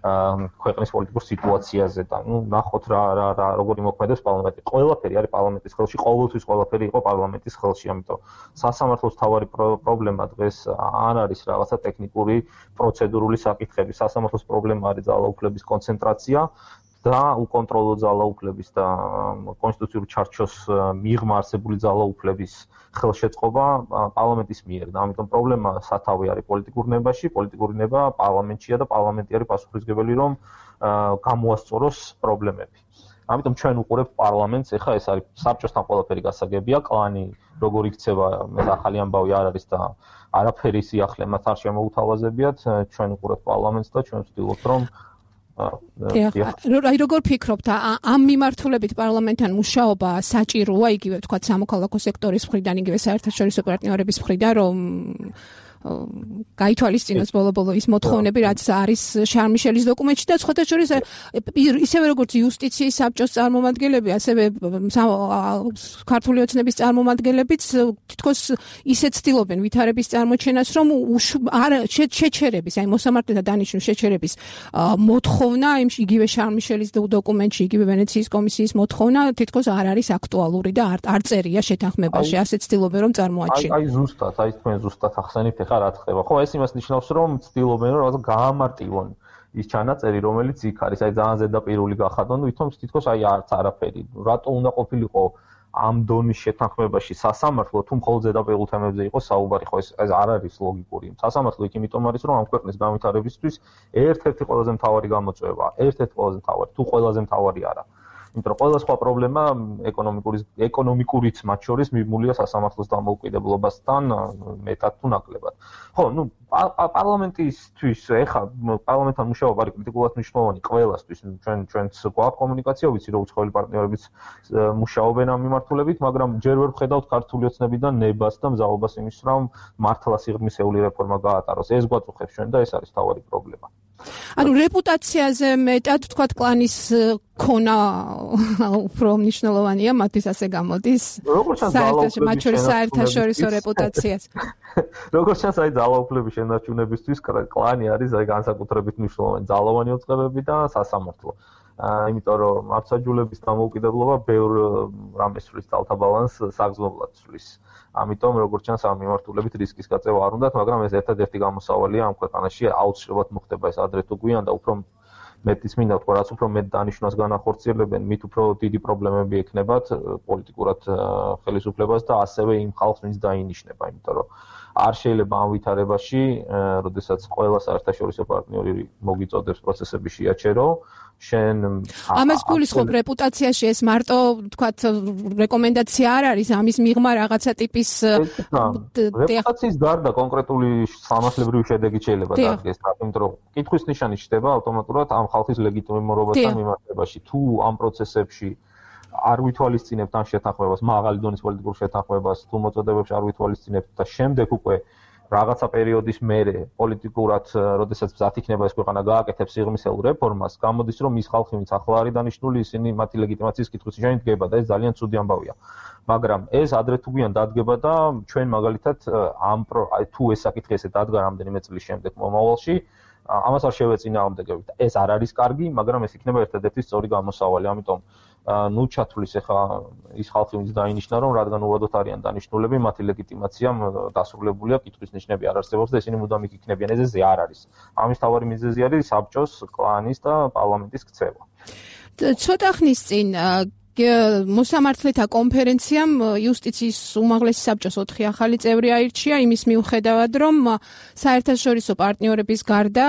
Speaker 4: ქვეყნის პოლიტიკურ სიტუაციაზე და ნახოთ რა როგორი მოქმედებს პარლამენტი. ყველაფერი არის პარლამენტის ხელში, ყოველთვის ყველაფერი იყო პარლამენტის ხელში, ამიტომ სასამართლოს მთავარი პრობლემა დღეს არ არის რაღაცა ტექნიკური პროცედურული საკითხები. სასამართლოს პრობლემა არის ძალაუფლების კონცენტრაცია და უკონტროლო ძალაუფლების და კონსტიტუციური ჩარჩოს მიღმა არსებული ძალაუფლების ხელშეწყობა პარლამენტის მიერ და ამიტომ პრობლემა სათავე არის პოლიტიკურ ნებაში, პოლიტიკური ნება პარლამენტშია და პარლამენტი არის პასუხისმგებელი რომ გამოასწოროს პრობლემები. ამიტომ ჩვენ უყურებთ პარლამენტს, ეხლა ეს არის საბჭოსთან ყველაფერი გასაგებია, კლანი როგორ იქცევა, ახალი ამბავი არ არის და არაფერი სიახლე მათ არ შემოუთავაზებიათ, ჩვენ უყურებთ პარლამენტს და ჩვენ ვცდილობთ რომ
Speaker 1: აი როგორ ფიქრობთ ამ მიმართულებით პარლამენტთან მუშაობა საჭიროა იგივე თქვა სამოქალაქო სექტორის მხრიდან იგივე საერთაშორისო პარტნიორების მხრიდან რომ გაითვალისწინოს ბოლო-ბოლო ის მოთხოვნები რაც არის შარლ მიშელის დოკუმენტში და სხვათა შორის ისევე როგორც იუსტიციის საბჭოს წარმომადგენლები ასევე ქართული ოცნების წარმომადგენლებიც თითქოს ისეთ ცდილობენ ვითარების წარმოჩენას რომ შეჩერების აი მოსამართლეთა დანიშვნის შეჩერების მოთხოვნა იმ იგივე შარლ მიშელის დოკუმენტში იგივე ვენეციის კომისიის მოთხოვნა თითქოს არ არის აქტუალური და არ წერია შეთანხმებაში ასე ცდილობენ რომ წარმოაჩინონ
Speaker 4: აი ზუსტად აი თქვენ ზუსტად ახსენებთ რა ხდება. ხო, ეს იმას ნიშნავს, რომ ცდილობენ რომ რაღაც გაამარტივონ ის ჩანაწერი, რომელიც იქ არის, აი ძალიან ზედაპირული გახადონ, ვითომ თითქოს აი არც არაფერი. რატო უნდა ყოფილიყო ამ დონის შეთანხმებაში სასამართლო, თუ მხოლოდ ზედაპირულ თემებზე იყოს საუბარი, ხო ეს არ არის ლოგიკური. სასამართლო იქ იმიტომ არის, რომ ამ ქვეყნის განვითარებისთვის ერთ-ერთი ყველაზე მთავარი გამოწვევა, ერთ-ერთი ყველაზე მთავარი, თუ ყველაზე მთავარი არა. იმიტომ რომ ყველა სხვა პრობლემა ეკონომიკურიც მათ შორის მიმულია სასამართლოს დამოუკიდებლობასთან მეტად თუ ნაკლებად. ხო, ნუ პარლამენტისთვის ეხა პარლამენტთან მუშაობა არის კრიტიკულად მნიშვნელოვანი ყველასთვის. ჩვენც გვაქვს კომუნიკაცია, ვიცი რომ უცხოელი პარტნიორებიც მუშაობენ ამ მიმართულებით, მაგრამ ჯერ ვერ ვხედავთ ქართული ოცნებიდან ნებას და მზაობას იმის რომ მართლა სიღრმისეული რეფორმა გაატაროს. ეს გვაწუხებს ჩვენ და ეს არის თავარი პრობლემა.
Speaker 1: ანუ რეპუტაციაზე მეტად თქვათ კლანის ქონა უფრო მნიშვნელოვანია მათთვის ასე გამოდის საერთაშორისო რეპუტაციას
Speaker 4: როგორც ჩანს აი ძალაუფლების შენარჩუნებისთვის კლანი არის აი განსაკუთრებით მნიშვნელოვანი ძალოვანი უწყებები და სასამართლო იმიტომ რომ მართლმსაჯულების დამოუკიდებლობა ბევრ რამეს სვლის ძალთაბალანს საგრძნობლად სვლის ამიტომ როგორც ჩანს ამ მიმართულებით რისკის გაწევა არ უნდათ, მაგრამ ეს ერთადერთი გამოსავალია ამ ქვეყანაში აუცილებლად მოხდება ეს ადრე თუ გვიან და უფრო მეტის მინდა თქვა, რაც უფრო მეტ დანიშვნას განახორციელებენ, მით უფრო დიდი პრობლემები ექნებათ პოლიტიკურად ხელისუფლებას და ასევე იმ ხალხს, ვინც დაინიშნება, იმიტომ რომ არ შეიძლება ამ ვითარებაში, როდესაც ყველა საერთაშორისო პარტნიორი მოგიწოდებს პროცესები შეაჩერო, შენ
Speaker 1: ამას გულისხმობ რეპუტაციაში ეს მარტო თქვათ რეკომენდაცია არ არის ამის მიღმა რაღაცა ტიპის
Speaker 4: რეპუტაციის გარდა კონკრეტული სამართლებრივი შედეგი შეიძლება დადგეს, იმიტომ რომ კითხვის ნიშანი ჩდება ავტომატურად ამ ხალხის ლეგიტიმურობასთან მიმართებაში. თუ ამ პროცესებში არ ვითვალისწინებთ ამ შეთანხმებას, მაღალი დონის პოლიტიკურ შეთანხმებას, თუ მოწოდებებში არ ვითვალისწინებთ და შემდეგ უკვე რაღაცა პერიოდის მერე პოლიტიკურად, როდესაც მზად იქნება ეს ქვეყანა გააკეთებს სიღრმისეულ რეფორმას, გამოდის რომ ის ხალხი, ვინც ახლა არის დანიშნული, ისინი მათი ლეგიტიმაციის კითხვის ნიშანი დგება და ეს ძალიან ცუდი ამბავია. მაგრამ ეს ადრე თუ გვიან დადგება და ჩვენ მაგალითად თუ ეს საკითხი ესე დადგა რამდენიმე წლის შემდეგ მომავალში, ამას არ შევეწინააღმდეგებით. ეს არ არის კარგი, მაგრამ ეს იქნება ერთადერთი სწორი გამოსავალი. ამიტომ ნუ ჩათვლის ახლა ის ხალხი ვინც დაინიშნა რომ რადგან უვადოთ არიან დანიშნულები მათი ლეგიტიმაცია დასრულებულია კითხვის ნიშნები არ არსებობს და ისინი მუდამ იქ იქნებიან ეს არ არის ამის თავარი მიზეზი არის საბჭოს კლანის და პარლამენტის ქცევა
Speaker 1: ცოტა ხნის წინ მოსამართლეთა კონფერენციამ იუსტიციის უმაღლესი საბჭოს 4 ახალი წევრი აირჩია იმის მიუხედავად რომ საერთაშორისო პარტნიორების გარდა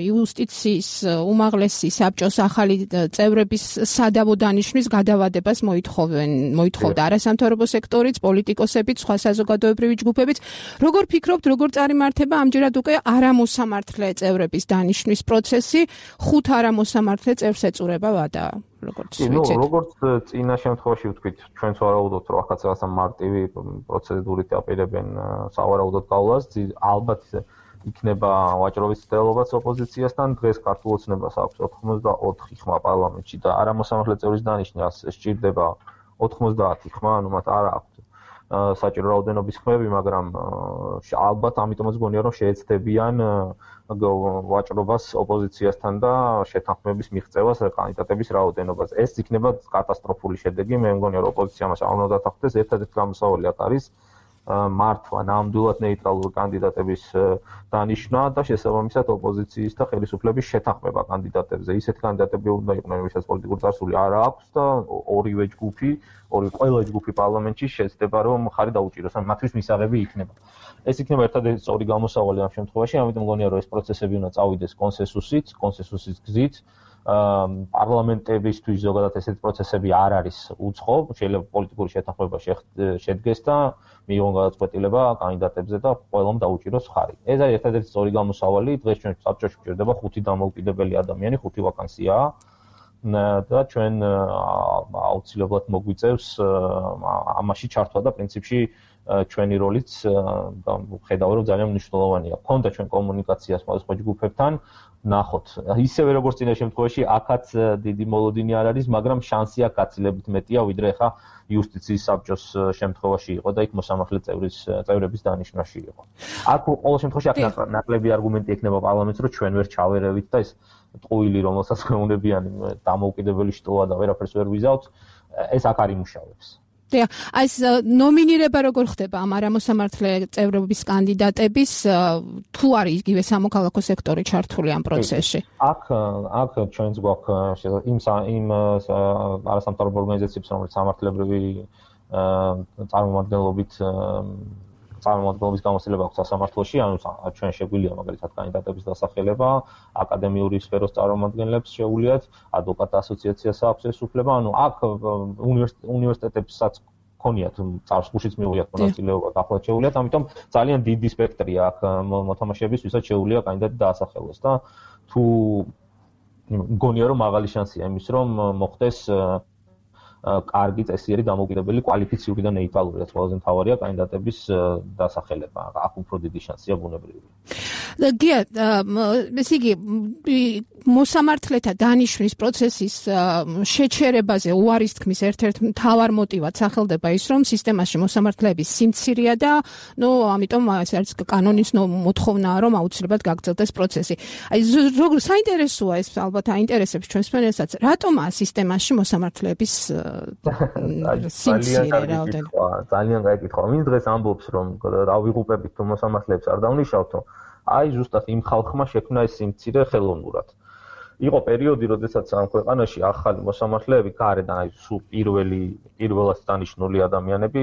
Speaker 1: იუსტიციის უმაღლესი საბჭოს ახალი წევრების სადავო დანიშვნის გადავადებას მოითხოვდა არასამთავრობო სექტორიც, პოლიტიკოსებიც, სხვა საზოგადოებრივი ჯგუფებიც. როგორ ფიქრობთ, როგორ წარიმართება ამჯერად უკვე არამოსამართლე წევრების დანიშვნის პროცესი, 5 არამოსამართლე წევრს ეწურება ვადა? როგორც
Speaker 4: წინა შემთხვევაში ვთქვით, ჩვენც ვარაუდობთ, რომ ახაც რაღაცა მარტივი პროცედურით აპირებენ სავარაუდოდ გავლას, ალბათ იქნება ვაჭრობის ცდელობაც ოპოზიციასთან, დღეს ქართულ ოცნებას აქვს 84 ხმა პარლამენტში და არამოსამართლე წევრის დანიშვნას სჭირდება 90 ხმა, ანუ მათ არ აქვს საჭირო რაოდენობის ხმები, მაგრამ ალბათ ამიტომაც გონია რომ შეეცდებიან ვაჭრობას ოპოზიციასთან და შეთანხმების მიღწევას კანდიდატების რაოდენობას. ეს იქნება კატასტროფული შედეგი, მე მგონია რომ ოპოზიციამ არ უნდა დათანხმდეს, ერთადერთი გამოსავალი აქ არის მართლა ნამდვილად ნეიტრალური კანდიდატების დანიშვნა და შესაბამისად ოპოზიციის და ხელისუფლების შეთანხმება კანდიდატებზე. ისეთი კანდიდატები უნდა იყვნენ, ვისაც პოლიტიკური წარსული არ აქვს და ორივე ჯგუფი, ყველა ჯგუფი პარლამენტში შეცდება რომ მხარი დაუჭიროს, ან მათთვის მისაღები იქნება. ეს იქნება ერთადერთი სწორი გამოსავალი ამ შემთხვევაში, ამიტომ მგონია რომ ეს პროცესები უნდა წავიდეს კონსენსუსით გზით. პარლამენტებისთვის ზოგადად ესეთი პროცესები არ არის უცხო, შეიძლება პოლიტიკური შეთანხმება შედგეს და მიიღონ გადაწყვეტილება კანდიდატებზე და ყველამ დაუჭიროს ხარი. ეს არის ერთადერთი სწორი გამოსავალი, დღეს ჩვენ საბჭოში გვჭირდება 5 დამოუკიდებელი ადამიანი, 5 ვაკანსიაა და ჩვენ აუცილებლად მოგვიწევს ამაში ჩართვა და პრინციპში ჩვენი როლიც ხედავ რომ ძალიან მნიშვნელოვანია. ქონდა ჩვენ კომუნიკაცია სხვადასხვა ჯგუფებთან, ნახოთ. ისევე როგორც წინა შემთხვევაში, აქაც დიდი მოლოდინი არ არის, მაგრამ შანსი აქ გაცილებით მეტია, ვიდრე ხა იუსტიციის საბჭოს შემთხვევაში იყო და იქ მოსამართლე წევრების დანიშვნაში იყო. აქ ყოველ შემთხვევაში აქ ნაკლები არგუმენტი ექნება პარლამენტს, რომ ჩვენ ვერ ჩავერევით და ეს ტყუილი, რომელსაც ხეუნებიანი დამოუკიდებელი შტოა და ვერაფერს ვერ ვიზავთ, ეს აქ არ იმუშავებს.
Speaker 1: დიახ, ეს ნომინირება როგორ ხდება ამ არამოსამართლე წევრების კანდიდატების თუ არის იგივე სამოქალაქო სექტორი ჩართული ამ პროცესში?
Speaker 4: აქ ჩვენს გვაქვს იმ არასამთავრობო ორგანიზაციებს, რომელიც სამართლებრივი წარმომადგენლობის გამოცდილება აქვს სასამართლოში, ანუ ჩვენ შეგვიძლია მაგალითად კანდიდატების დასახელება, აკადემიური სფეროს წარმომადგენლებს შეუძლიათ, ადვოკატთა ასოციაციას აქვს ეს უფლება, ანუ აქ უნივერსიტეტებსაც ქონიათ წარსულშიც მიუღიათ მონაწილეობა, ახლა შეუძლიათ, ამიტომ ძალიან დიდი სპექტრია აქ მოთამაშეების, ვისაც შეუძლია კანდიდატი დაასახელოს და თუ მგონია რომ მაღალი შანსია იმის რომ მოხდეს კარგი წესიერი დამოუკიდებელი კვალიფიციური და ნეიტრალური, რაც ყველაზე მთავარია კანდიდატების დასახელება. აქ უფრო დიდი შანსია ბუნებრივია.
Speaker 1: გია, ესე იგი მოსამართლეთა დანიშვნის პროცესის შეჩერებაზე უარის თქმის ერთ-ერთ მთავარ მოტივად სახელდება ის, რომ სისტემაში მოსამართლეების სიმცირეა და ამიტომ ეს არის კანონის მოთხოვნაა, რომ აუცილებლად გაგრძელდეს პროცესი. აი საინტერესოა ეს ალბათ აინტერესებს ჩვენს მენესაც, რატომაა სისტემაში მოსამართლეების სიმცირე რაოდენობა?
Speaker 4: ძალიან კაი კითხვა. ვინ დღეს ამბობს, რომ ავიღუპებით თუ მოსამართლეებს არ დავნიშავთო? აი ზუსტად იმ ხალხმა შექმნა ეს სიმცირე ხელოვნურად. იყო პერიოდი, როდესაც ამ ქვეყანაში ახალი მოსამართლეები გარედან აი სულ პირველად დანიშნული ადამიანები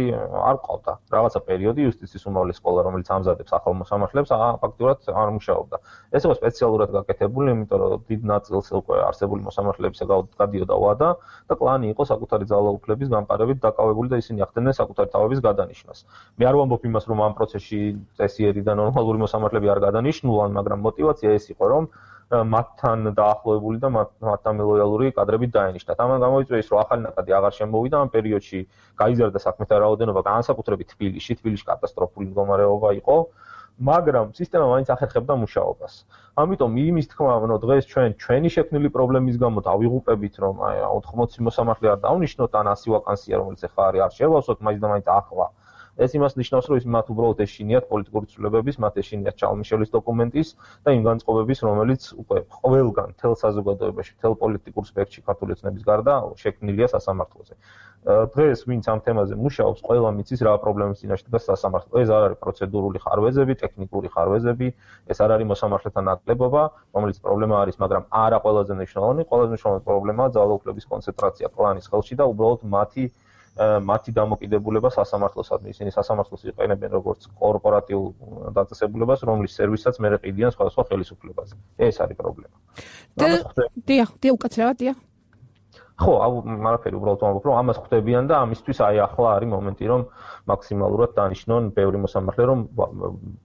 Speaker 4: არ ყავდა. რაღაცა პერიოდი იუსტიციის უმაღლესი სკოლა, რომელიც ამზადებს ახალ მოსამართლეებს, ფაქტურად არ მუშაობდა. ეს იყო სპეციალურად გაკეთებული, იმიტომ რომ დიდ ნაწილს უკვე არსებული მოსამართლეებისა გადიოდა ვადა და კლანი იყო საკუთარი ძალაუფლების გამყარებით დაკავებული და ისინი ახდენდნენ საკუთარი თავების გადანიშნას. მე არ ვამბობ იმას, რომ ამ პროცესში წესიერი და ნორმალური მოსამართლეები არ გადანიშნულან, მაგრამ мотиваცია ეს იყო, რომ მათთან დაახლოებული და მათთან ლოიალური კადრები დაენიშნათ. ამან გამოიწვია ის, რომ ახალი ნაკადი აღარ შემოვიდა ამ პერიოდში, გაიზარდა საქმეთა რაოდენობა, განსაკუთრებით თბილისში კატასტროფული მდგომარეობა იყო, მაგრამ სისტემა მაინც ახერხებდა მუშაობას. ამიტომ იმის თქმა, რომ დღეს ჩვენი შექმნილი პრობლემის გამო დავიღუპებით, რომ 80 მოსამართლე არ დავნიშნოთ, ან 100 ვაკანსია, რომელიც ახლა არის, არ შევავსოთ, მაინც და მაინც ახლა. ეს იმას ნიშნავს, რომ მათ უბრალოდ ეშინიათ პოლიტიკური ცვლილებების, მათ ეშინიათ ჩალმიშელის დოკუმენტის და იმ განწყობების, რომელიც უკვე ყველგან, მთელ საზოგადოებაში, მთელ პოლიტიკურ სპექტრში ქართული ოცნების გარდა შექმნილია სასამართლოზე. დღეს ვინც ამ თემაზე მუშაობს, ყველა მიცის რა პრობლემის წინაშე დგას სასამართლო. ეს არ არის პროცედურული ხარვეზები, ტექნიკური ხარვეზები, ეს არ არის მოსამართლეთა ნაკლებობა, რომელიც პრობლემა არის, მაგრამ არა ყველაზე მნიშვნელოვანი, ყველაზე მნიშვნელოვანი პრობლემაა ძალაუფლების კონცენტრაცია კლანის ხელში და უბრალოდ მათი დამოკიდებულება სასამართლოსადმი. ისინი სასამართლოს იყენებენ როგორც კორპორატიულ დაწესებულებას, რომლის სერვისაც მე ყიდიან სხვადასხვა ხელისუფლებაზე. ეს არის პრობლემა.
Speaker 1: დიახ, უკაცრავად, დიახ.
Speaker 4: ხო, არაფერი, უბრალოდ ვამბობ, რომ ამას ხვდებიან და ამისთვის აი ახლა არის მომენტი, რომ მაქსიმალურად დანიშნონ ბევრი მოსამართლე, რომ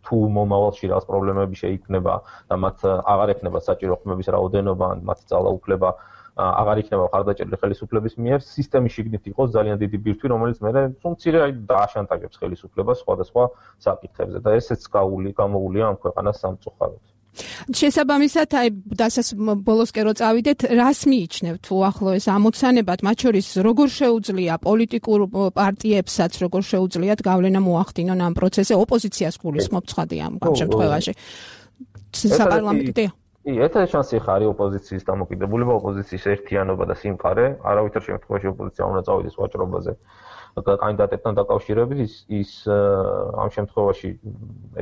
Speaker 4: თუ მომავალში რაღაც პრობლემები შეიქმნება და მათ აღარ ექნება საჭირო ხმების რაოდენობა, ან მათი ძალაუფლება აღარ იქნება ხარდაჭერილი ხელისუფლების მიერ, სისტემის შიგნით იყოს ძალიან დიდი ბირთვი, რომელიც მერე მცირე დააშანტაჟებს ხელისუფლებას სხვადასხვა საკითხებზე და ესეც გამოუულია ამ ქვეყანას სამწუხაროდ.
Speaker 1: შესაბამისად, აი ბოლოსკენ რო წავიდეთ, რას მიიჩნევთ უახლოეს ამოცანებად, მათ შორის როგორ შეუძლია პოლიტიკურ პარტიებსაც, როგორ შეუძლიათ გავლენა მოახდინონ ამ პროცესზე, ოპოზიციას გულისხმობ ცხადია ამ შემთხვევაში. საპარლამენტო
Speaker 4: ერთადერთი შანსი ხარი ოპოზიციის დამოკიდებულება, ოპოზიციის ერთიანობა და სიმყარე, არავითარ შემთხვევაში ოპოზიცია უნდა წავიდეს ვაჭრობაზე. კანდიდატებთან დაკავშირებით ის ამ შემთხვევაში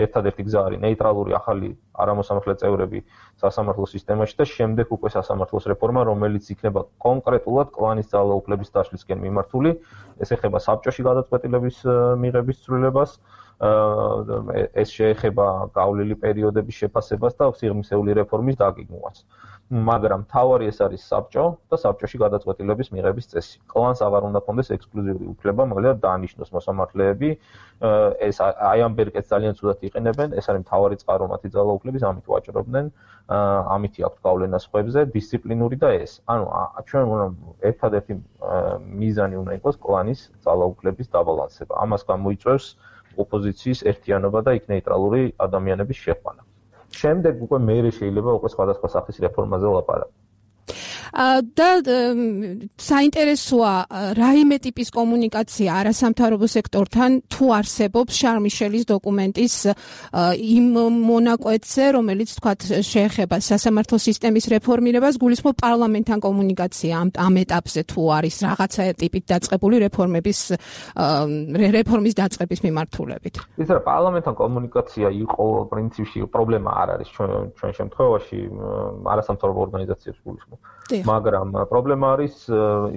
Speaker 4: ერთადერთი გზა არის ნეიტრალური ახალი არამოსამართლე წევრები სასამართლო სისტემაში და შემდეგ უკვე სასამართლოს რეფორმა, რომელიც იქნება კონკრეტულად კლანის ძალაუფლების დაშლისკენ მიმართული. ეს ეხება საბჭოში გადაწყვეტილების მიღების ცვლილებას, ეს შეეხება გავლილი პერიოდების შეფასებას და სიღრმისეული რეფორმის დაგეგმვას. მაგრამ თავარი ეს არის საბჭო და საბჭოში გადაწყვეტილების მიღების წესი. კლანს აღარ უნდა ქონდეს ექსკლუზიური უფლება, მაგალითად დაანიშნოს მოსამართლეები, ეს აი ამ ბერკეტს ძალიან ცუდად იყენებენ, ეს არის მთავარი წყარო მათი ძალაუფლების, ამით ვაჭრობდნენ, ამითი აქვს გავლენა სხვებზე, დისციპლინური და ეს. ანუ ჩვენ უნდა ერთადერთი მიზანი უნდა იყოს კლანის ძალაუფლების დაბალანსება. ამას გამოიწვევს ოპოზიციის ერთიანობა და იქ ნეიტრალური ადამიანების შეყვანა. შემდეგ უკვე მეერე შეიძლება უკვე სხვადასხვა სახის რეფორმაზე ვლაპარაკო.
Speaker 1: და საინტერესოა რაიმე ტიპის კომუნიკაცია არასამთავრობო სექტორთან თუ არსებობს შარლ მიშელის დოკუმენტის იმ მონაკვეთზე, რომელიც თქვათ შეეხება სასამართლო სისტემის რეფორმირებას, გულისხმობ პარლამენტთან კომუნიკაცია ამ ეტაპზე თუ არის რაღაცა ტიპით დაწყებული რეფორმის დაწყების მიმართულებით.
Speaker 4: ის რა პარლამენტთან კომუნიკაცია იყო პრინციპში პრობლემა არ არის ჩვენ შემთხვევაში არასამთავრობო ორგანიზაციებს გულისხმობ. მაგრამ პრობლემა არის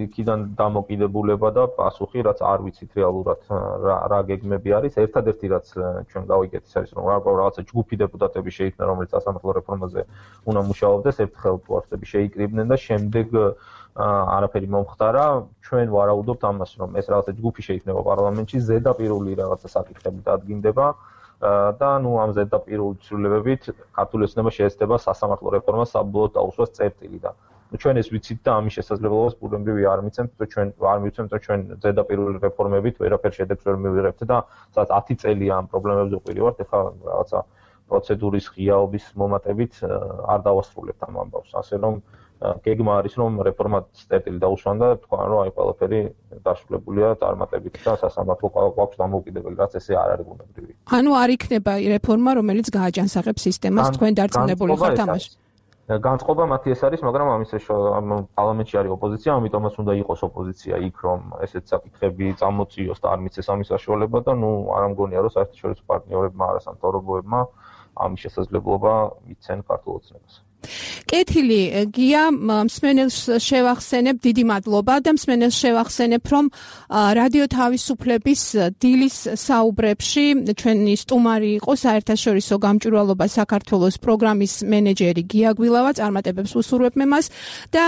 Speaker 4: იქიდან დამოკიდებულება და პასუხი, რაც არ ვიცით რეალურად რა გეგმები არის. ერთადერთი რაც ჩვენ გავიგეთ ის არის, რომ რაღაცა ჯგუფი დეპუტატები შეიქმნა, რომელიც სასამართლო რეფორმაზე უნდა მუშაობდეს, ერთხელ პოსტები შეიკრიბნენ და შემდეგ არაფერი მომხდარა. ჩვენ ვარაუდობთ ამას, რომ ეს რაღაცა ჯგუფი შეიქმნება პარლამენტში, ზედაპირული რაღაცა საკითხები დადგინდება და ამ ზედაპირული ცვლილებებით ქართული ოცნება შეეცდება სასამართლო რეფორმას საბოლოოდ დაუსვას წერტილი და ჩვენ ეს ვიცით და ამის შესაძლებლობას პურემრივი არ მიცემთ, ჩვენ არ მივცემთ, რომ ჩვენ ზედაპირული რეფორმებით ვერაფერ შედეგს ვერ მივიღებთ და სადაც 10 წელია ამ პრობლემებზე ვყირივართ, ეხლა რაღაცა პროცედურის ღიაობის მომატებით არ დავასრულებთ ამ ამბავს. ასე რომ გეგმა არის, რომ რეფორმა წერტილი დაუსვან და თქვა, რომ აი ყველაფერი დასრულებულია წარმატებით და სასამართლო გვაქვს დამოუკიდებელი, რაც ესე არ არის ბუნებრივი.
Speaker 1: ანუ არ იქნება რეფორმა, რომელიც გააჯანსაღებს სისტემას, თქვენ დარწმუნებული ხართ ამაში?
Speaker 4: განწყობა მათი ეს არის, მაგრამ პარლამენტში არის ოპოზიცია, ამიტომაც უნდა იყოს ოპოზიცია იქ, რომ ესეთ საკითხები წამოწიოს და არ მიცეს ამის საშუალება და არ ამგონია, რომ საერთაშორისო პარტნიორებმა, არასამთავრობოებმა ამის შესაძლებლობა მიცენ ქართულ ოცნებას.
Speaker 1: კეთილი გია, მსმენელს შევახსენებ, დიდი მადლობა და მსმენელს შევახსენებ, რომ რადიო თავისუფლების დილის საუბრებში ჩვენი სტუმარი იყო საერთაშორისო გამჭვირვალობა საქართველოს პროგრამის მენეჯერი გია გვილავა, წარმატებებს უსურვებ მე მას და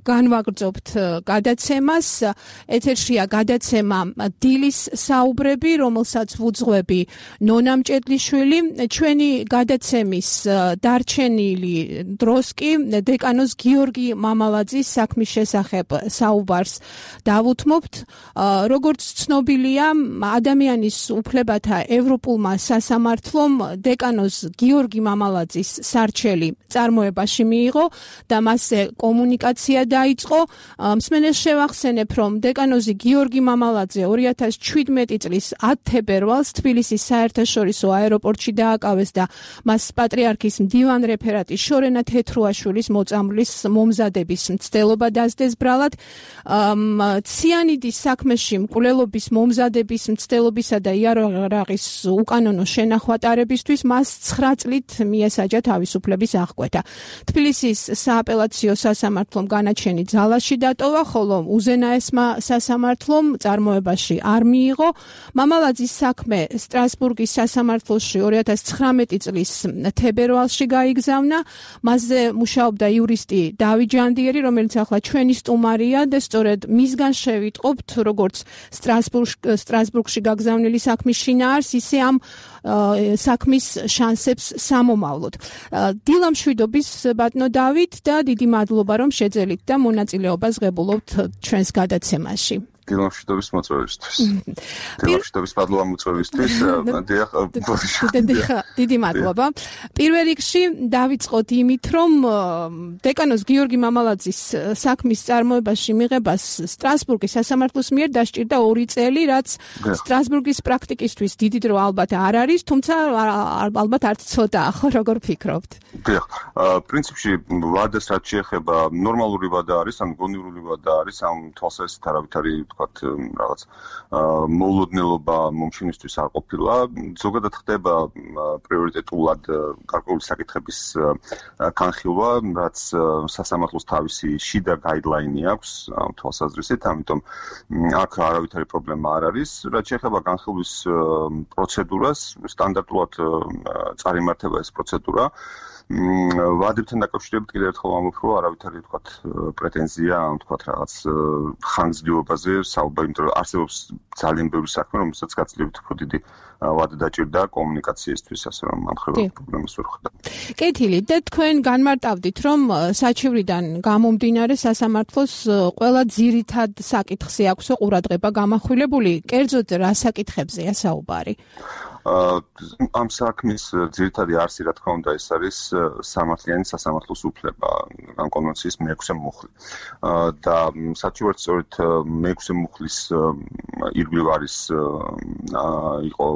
Speaker 1: განვაგრძობთ გადაცემას. ეთერშია გადაცემა დილის საუბრები, რომელსაც ვუძღვები ნონა მჭედლიშვილი. ჩვენი გადაცემის დარჩენილი დროს კი დეკანოს გიორგი მამალაძის საქმის შესახებ საუბარს დავუთმობთ. როგორც ცნობილია, ადამიანის უფლებათა ევროპულმა სასამართლომ დეკანოს გიორგი მამალაძის სარჩელი წარმოებაში მიიღო და მასზე კომუნიკაცია დაიწყო. მსმენელს შევახსენებ, რომ დეკანოზი გიორგი მამალაძე 2017 წლის 10 თებერვალს თბილისის საერთაშორისო აეროპორტში დააკავეს და მას პატრიარქის მდივან რეფერატი შორენა თეთრუაშვილის მოწამვლის მომზადების მცდელობა დასდეს ბრალად. ციანიდის საქმეში მკვლელობის მომზადების მცდელობისა და იარაღის უკანონო შენახვატარებისთვის მას 9 წლით მიესაჯა თავისუფლების აღკვეთა. თბილისის სააპელაციო სასამართლომ განაჩენი ძალაში დატოვა, ხოლო უზენაესმა სასამართლომ წარმოებაში არ მიიღო. მამალაძის საქმე სტრასბურგის სასამართლოში 2019 წლის თებერვალში გაიგზავნა. მასზე მუშაობდა იურისტი დავით ჯანდიერი, რომელიც ახლა ჩვენი სტუმარია და სწორედ მისგან შევიტყობთ, როგორც სტრასბურგში გაგზავნილი საქმის შინაარს, ისე ამ საქმის შანსებს სამომავლოდ. დილა მშვიდობის ბატონო დავით და დიდი მადლობა, რომ შეძელით და მონაწილეობას ღებულობთ ჩვენს გადაცემაში.
Speaker 5: დილამშვიდობის მოწვევისთვის. დილამშვიდობის მადლობა მოწვევისთვის.
Speaker 1: დიდი მადლობა. პირველ რიგში დავიწყოთ იმით, რომ დეკანოს გიორგი მამალაძის საქმის წარმოებაში მიღებას სტრასბურგის სასამართლოს მიერ დასჭირდა 2 წელი, რაც სტრასბურგის პრაქტიკისთვის დიდი დრო ალბათ არ არის, თუმცა ალბათ არც ცოტაა, ხო, როგორ ფიქრობთ?
Speaker 5: დიახ, პრინციპში ვადას რაც შეეხება ნორმალური ვადა არის, ან გონივრული ვადა არის, ამ თვალსაზრისით არავითარი რაღაც მოულოდნელობა მომშინისთვის არ ყოფილა. ზოგადად ხდება პრიორიტეტულად გარკვეული საკითხების განხილვა, რაც სასამართლოს თავისი შიდა გაიდლაინი აქვს ამ თვალსაზრისით, ამიტომ აქ არავითარი პრობლემა არ არის. რაც შეეხება განხილვის პროცედურას, სტანდარტულად წარიმართება ეს პროცედურა. ვადებთან დაკავშირებით კიდევ ერთხელ ვამბობ, რომ არავითარი თქვათ პრეტენზია, თქვათ რაღაც ხანგრძლივობაზე საუბარი, იმიტომ რომ არსებობს ძალიან ბევრი საქმე, რომელსაც გაცილებით უფრო დიდი ვადა დაჭირდა კომუნიკაციისთვის, ასე რომ ამ ხდება პრობლემას ვერ ხვდა.
Speaker 1: კეთილი, და თქვენ განმარტავდით, რომ საჩივრიდან გამომდინარე სასამართლოს ყველა ძირითად საკითხზე აქვს ყურადღება გამახვილებული, კერძოდ რა საკითხებზეა საუბარი?
Speaker 5: ამ საქმის ძირითადი არსი, რა თქმა უნდა, ეს არის სამართლიანი სასამართლოს უფლება, ამ კონვენციის მე-6 მუხლი. და საჩივართ სწორედ მე-6 მუხლის ირგვლივ არის იყო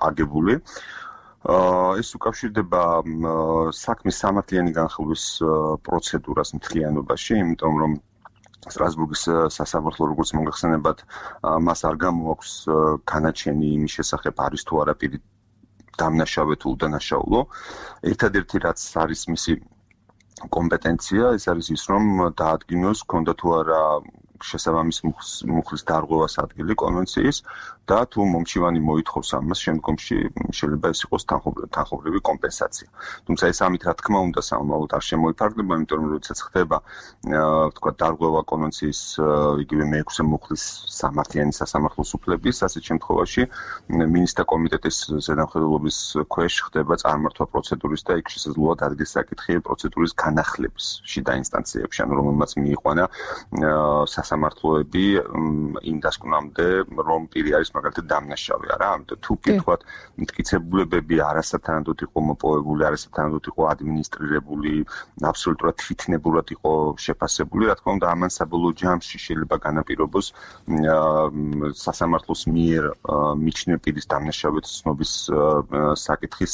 Speaker 5: აგებული. ეს უკავშირდება საქმის სამართლიანი განხილვის პროცედურას მთლიანობაში, იმიტომ რომ სტრასბურგის სასამართლო, როგორც მოგეხსენებათ, მას არ გამოაქვს განაჩენი იმის შესახებ, არის თუ არა პირი დამნაშავე თუ უდანაშაულო. ერთადერთი რაც არის მისი კომპეტენცია, ეს არის ის, რომ დაადგინოს, ქონდა თუ არა შესაბამის მუხლის დარღვევას ადგილი კონვენციის და თუ მომჩივანი მოითხოვს ამას, შემდგომში შეიძლება ეს იყოს თანხმობრივი კომპენსაცია. თუმცა ეს ამით რა თქმა უნდა სამომავლოდ არ შემოიფარგლება, იმიტომ რომ როდესაც ხდება თქვა დარღვევა კონვენციის იგივე მე-6 მუხლის სამართლიანი სასამართლოს უფლების, ასეთ შემთხვევაში მინისტრთა კომიტეტის ზედამხედველობის ქვეშ ხდება წარმართვა პროცედურის და იქ შესაძლოა დადგეს საკითხი პროცედურის განახლების შიდა ინსტანციებში, ანუ რომელმაც მიიყვანა სასამართლოები იმ დასკვნამდე, რომ პირი არის მაგალითად დამნაშავე, არა? ამიტომ თუ კითხავთ, მტკიცებულებები არასათანადოდ იყო მოპოვებული, არასათანადოდ იყო ადმინისტრირებული, აბსოლუტურად თვითნებურად იყო შეფასებული, რა თქმა უნდა, ამან საბოლოო ჯამში შეიძლება განაპირობოს სასამართლოს მიერ მიჩნევ პირის დამნაშავედ ცნობის საკითხის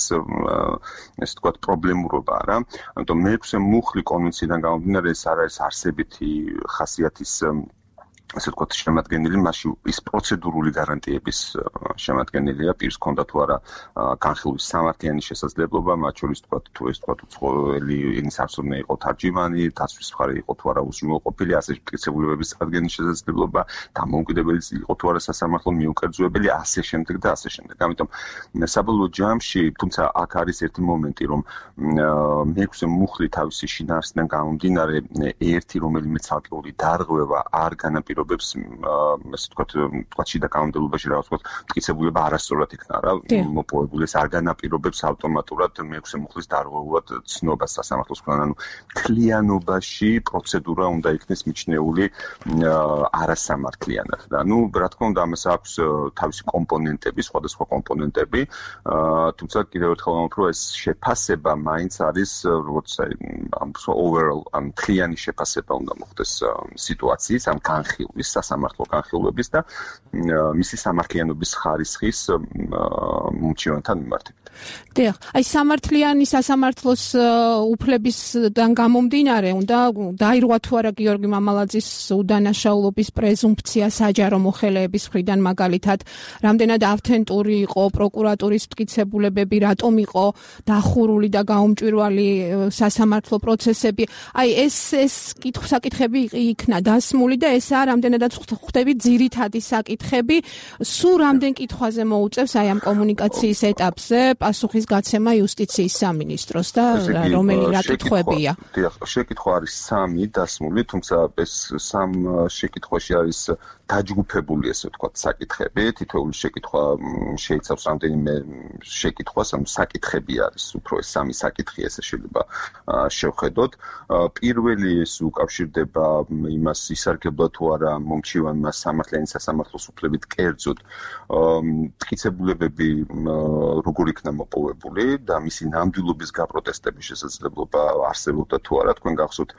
Speaker 5: ესე ვთქვათ პრობლემურობა, არა? ამიტომ მე-6 მუხლი კონვენციიდან გამომდინარე, ეს არ არის არსებითი ხასიათის ასე ვთქვათ შემადგენელი, მასში ის პროცედურული გარანტიების შემადგენელია, პირს ჰქონდა თუ არა განხილვის სამართლიანი შესაძლებლობა, მათ შორის ვთქვათ თუ ეს ვთქვათ უცხოელი ენის არცოდნე იყო თარჯიმანი, დაცვის მხარე იყო თუ არა უზრუნველყოფილი, ასე მტკიცებულებების წარდგენის შესაძლებლობა, დამოუკიდებელი იყო თუ არა სასამართლო მიუკერძოებელი, ასე შემდეგ და ასე შემდეგ. ამიტომ საბოლოო ჯამში, თუმცა აქ არის ერთი მომენტი, რომ მე-6 მუხლი თავისი შინაარსიდან გამომდინარე, ერთი რომელიმე ცალკეული დარღვევა არ განაპირობებს ესე ვთქვათ შიდა კანონმდებლობაში რაღაც ვთქვათ მტკიცებულება არასწორად იქნა რა მოპოვებული, ეს არ განაპირობებს ავტომატურად მე-6 მუხლის დარღვევად ცნობას სასამართლოს მხრიდან, ანუ მთლიანობაში პროცედურა უნდა იქნეს მიჩნეული არასამართლიანად და ნუ რა თქმა უნდა ამას აქვს თავისი კომპონენტები, სხვადასხვა კომპონენტები, თუმცა კიდევ ერთხელ ვამბობ, რომ ეს შეფასება მაინც არის როგორც overall მთლიანი შეფასება უნდა მოხდეს სიტუაციის ამ განხილვის, სასამართლო განხილვების და მისი სამართლიანობის ხარისხის მომჩივანთან მიმართებით.
Speaker 1: დიახ, აი სამართლიანი სასამართლოს უფლებისგან გამომდინარე, უნდა დაირღვა თუ არა გიორგი მამალაძის უდანაშაულობის პრეზუმფცია საჯარო მოხელეების მხრიდან, მაგალითად, რამდენად ავთენტური იყო პროკურატურის მტკიცებულებები, რატომ იყო დახურული და გაუმჭვირვალი სასამართლო პროცესები. აი ეს საკითხები იქნა დასმული და ესაა რამდენადაც ხვდები ძირითადი საკითხები, სულ რამდენ კითხვაზე მოუწევს აი ამ კომუნიკაციის ეტაპზე პასუხის გაცემა იუსტიციის სამინისტროს და რომელი რა კითხვებია?
Speaker 5: დიახ, შეკითხვა არის 3 დასმული, თუმცა ეს 3 შეკითხვაში არის დაჯგუფებული ესე ვთქვათ საკითხები, თითოეული შეკითხვა შეიცავს რამდენიმე შეკითხვას, ანუ საკითხები არის უფრო ეს 3 საკითხი ესე შეიძლება შევხედოთ. პირველი ეს უკავშირდება იმას ისარგებლა თუ არა მომჩივანმა სამართლიანი სასამართლოს უფლებით კერძოდ მტკიცებულებები როგორ იქნა მოპოვებული და მისი ნამდვილობის გაპროტესტების შესაძლებლობა არსებობდა თუ არა. თქვენ გახსოვთ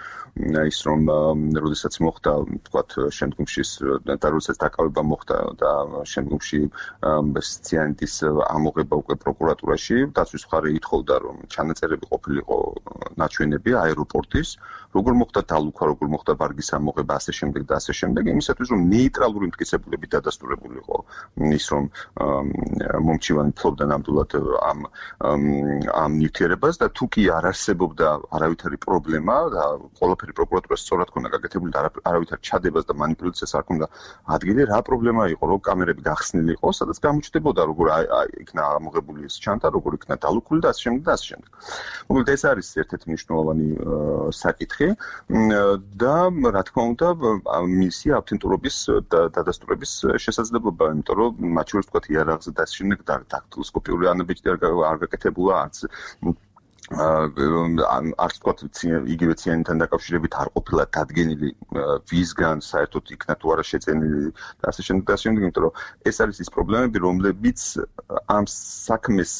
Speaker 5: ის რომ როდესაც მოხდა ვთქვათ შემდგომში და როდესაც დაკავება მოხდა და შემდგომში ციანიდის ამოღება უკვე პროკურატურაში, დაცვის მხარე ითხოვდა რომ ჩანაწერები ყოფილიყო ნაჩვენები აეროპორტის, როგორ მოხდა დალუქვა, როგორ მოხდა ბარგის ამოღება, ასე შემდეგ და ასე შემდეგ, იმისათვის რომ ნეიტრალური მტკიცებულები დადასტურებულიყო ის რომ მომჩივანი ფლობდა ნამდვილად ამ ნივთიერებას და თუ კი არ არსებობდა არავითარი პრობლემა და ყველაფერი პროკურატურას სწორად ქონდა გაკეთებული და არავითარ ჩადებას და მანიპულაციას არ ქონდა ადგილი რა პრობლემა იყო, რომ კამერები გახსნილი იყო, სადაც გამოჩნდებოდა როგორ იქნა ამოღებული ეს ჩანთა, როგორ იქნა დალუქული და ასე შემდეგ და ასე შემდეგ. მოკლედ ეს არის ერთ-ერთი მნიშვნელოვანი საკითხი და რა თქმა უნდა მისი ავთენტურობის დადასტურების შესაძლებლობა, იმიტომ რომ მათ შორის თქვა იარაღზე და ასე შემდეგ დაქტილოსკოპიური ანაბეჭდი არ გაკეთებულა არც არც თქვა იგივე ციანთან დაკავშირებით არ ყოფილა დადგენილი ვისგან საერთოდ იქნა თუ არა შეწენილი და ასე შემდეგ და ასე შემდეგ, იმიტომ რომ ეს არის ის პრობლემები, რომლებიც ამ საქმეს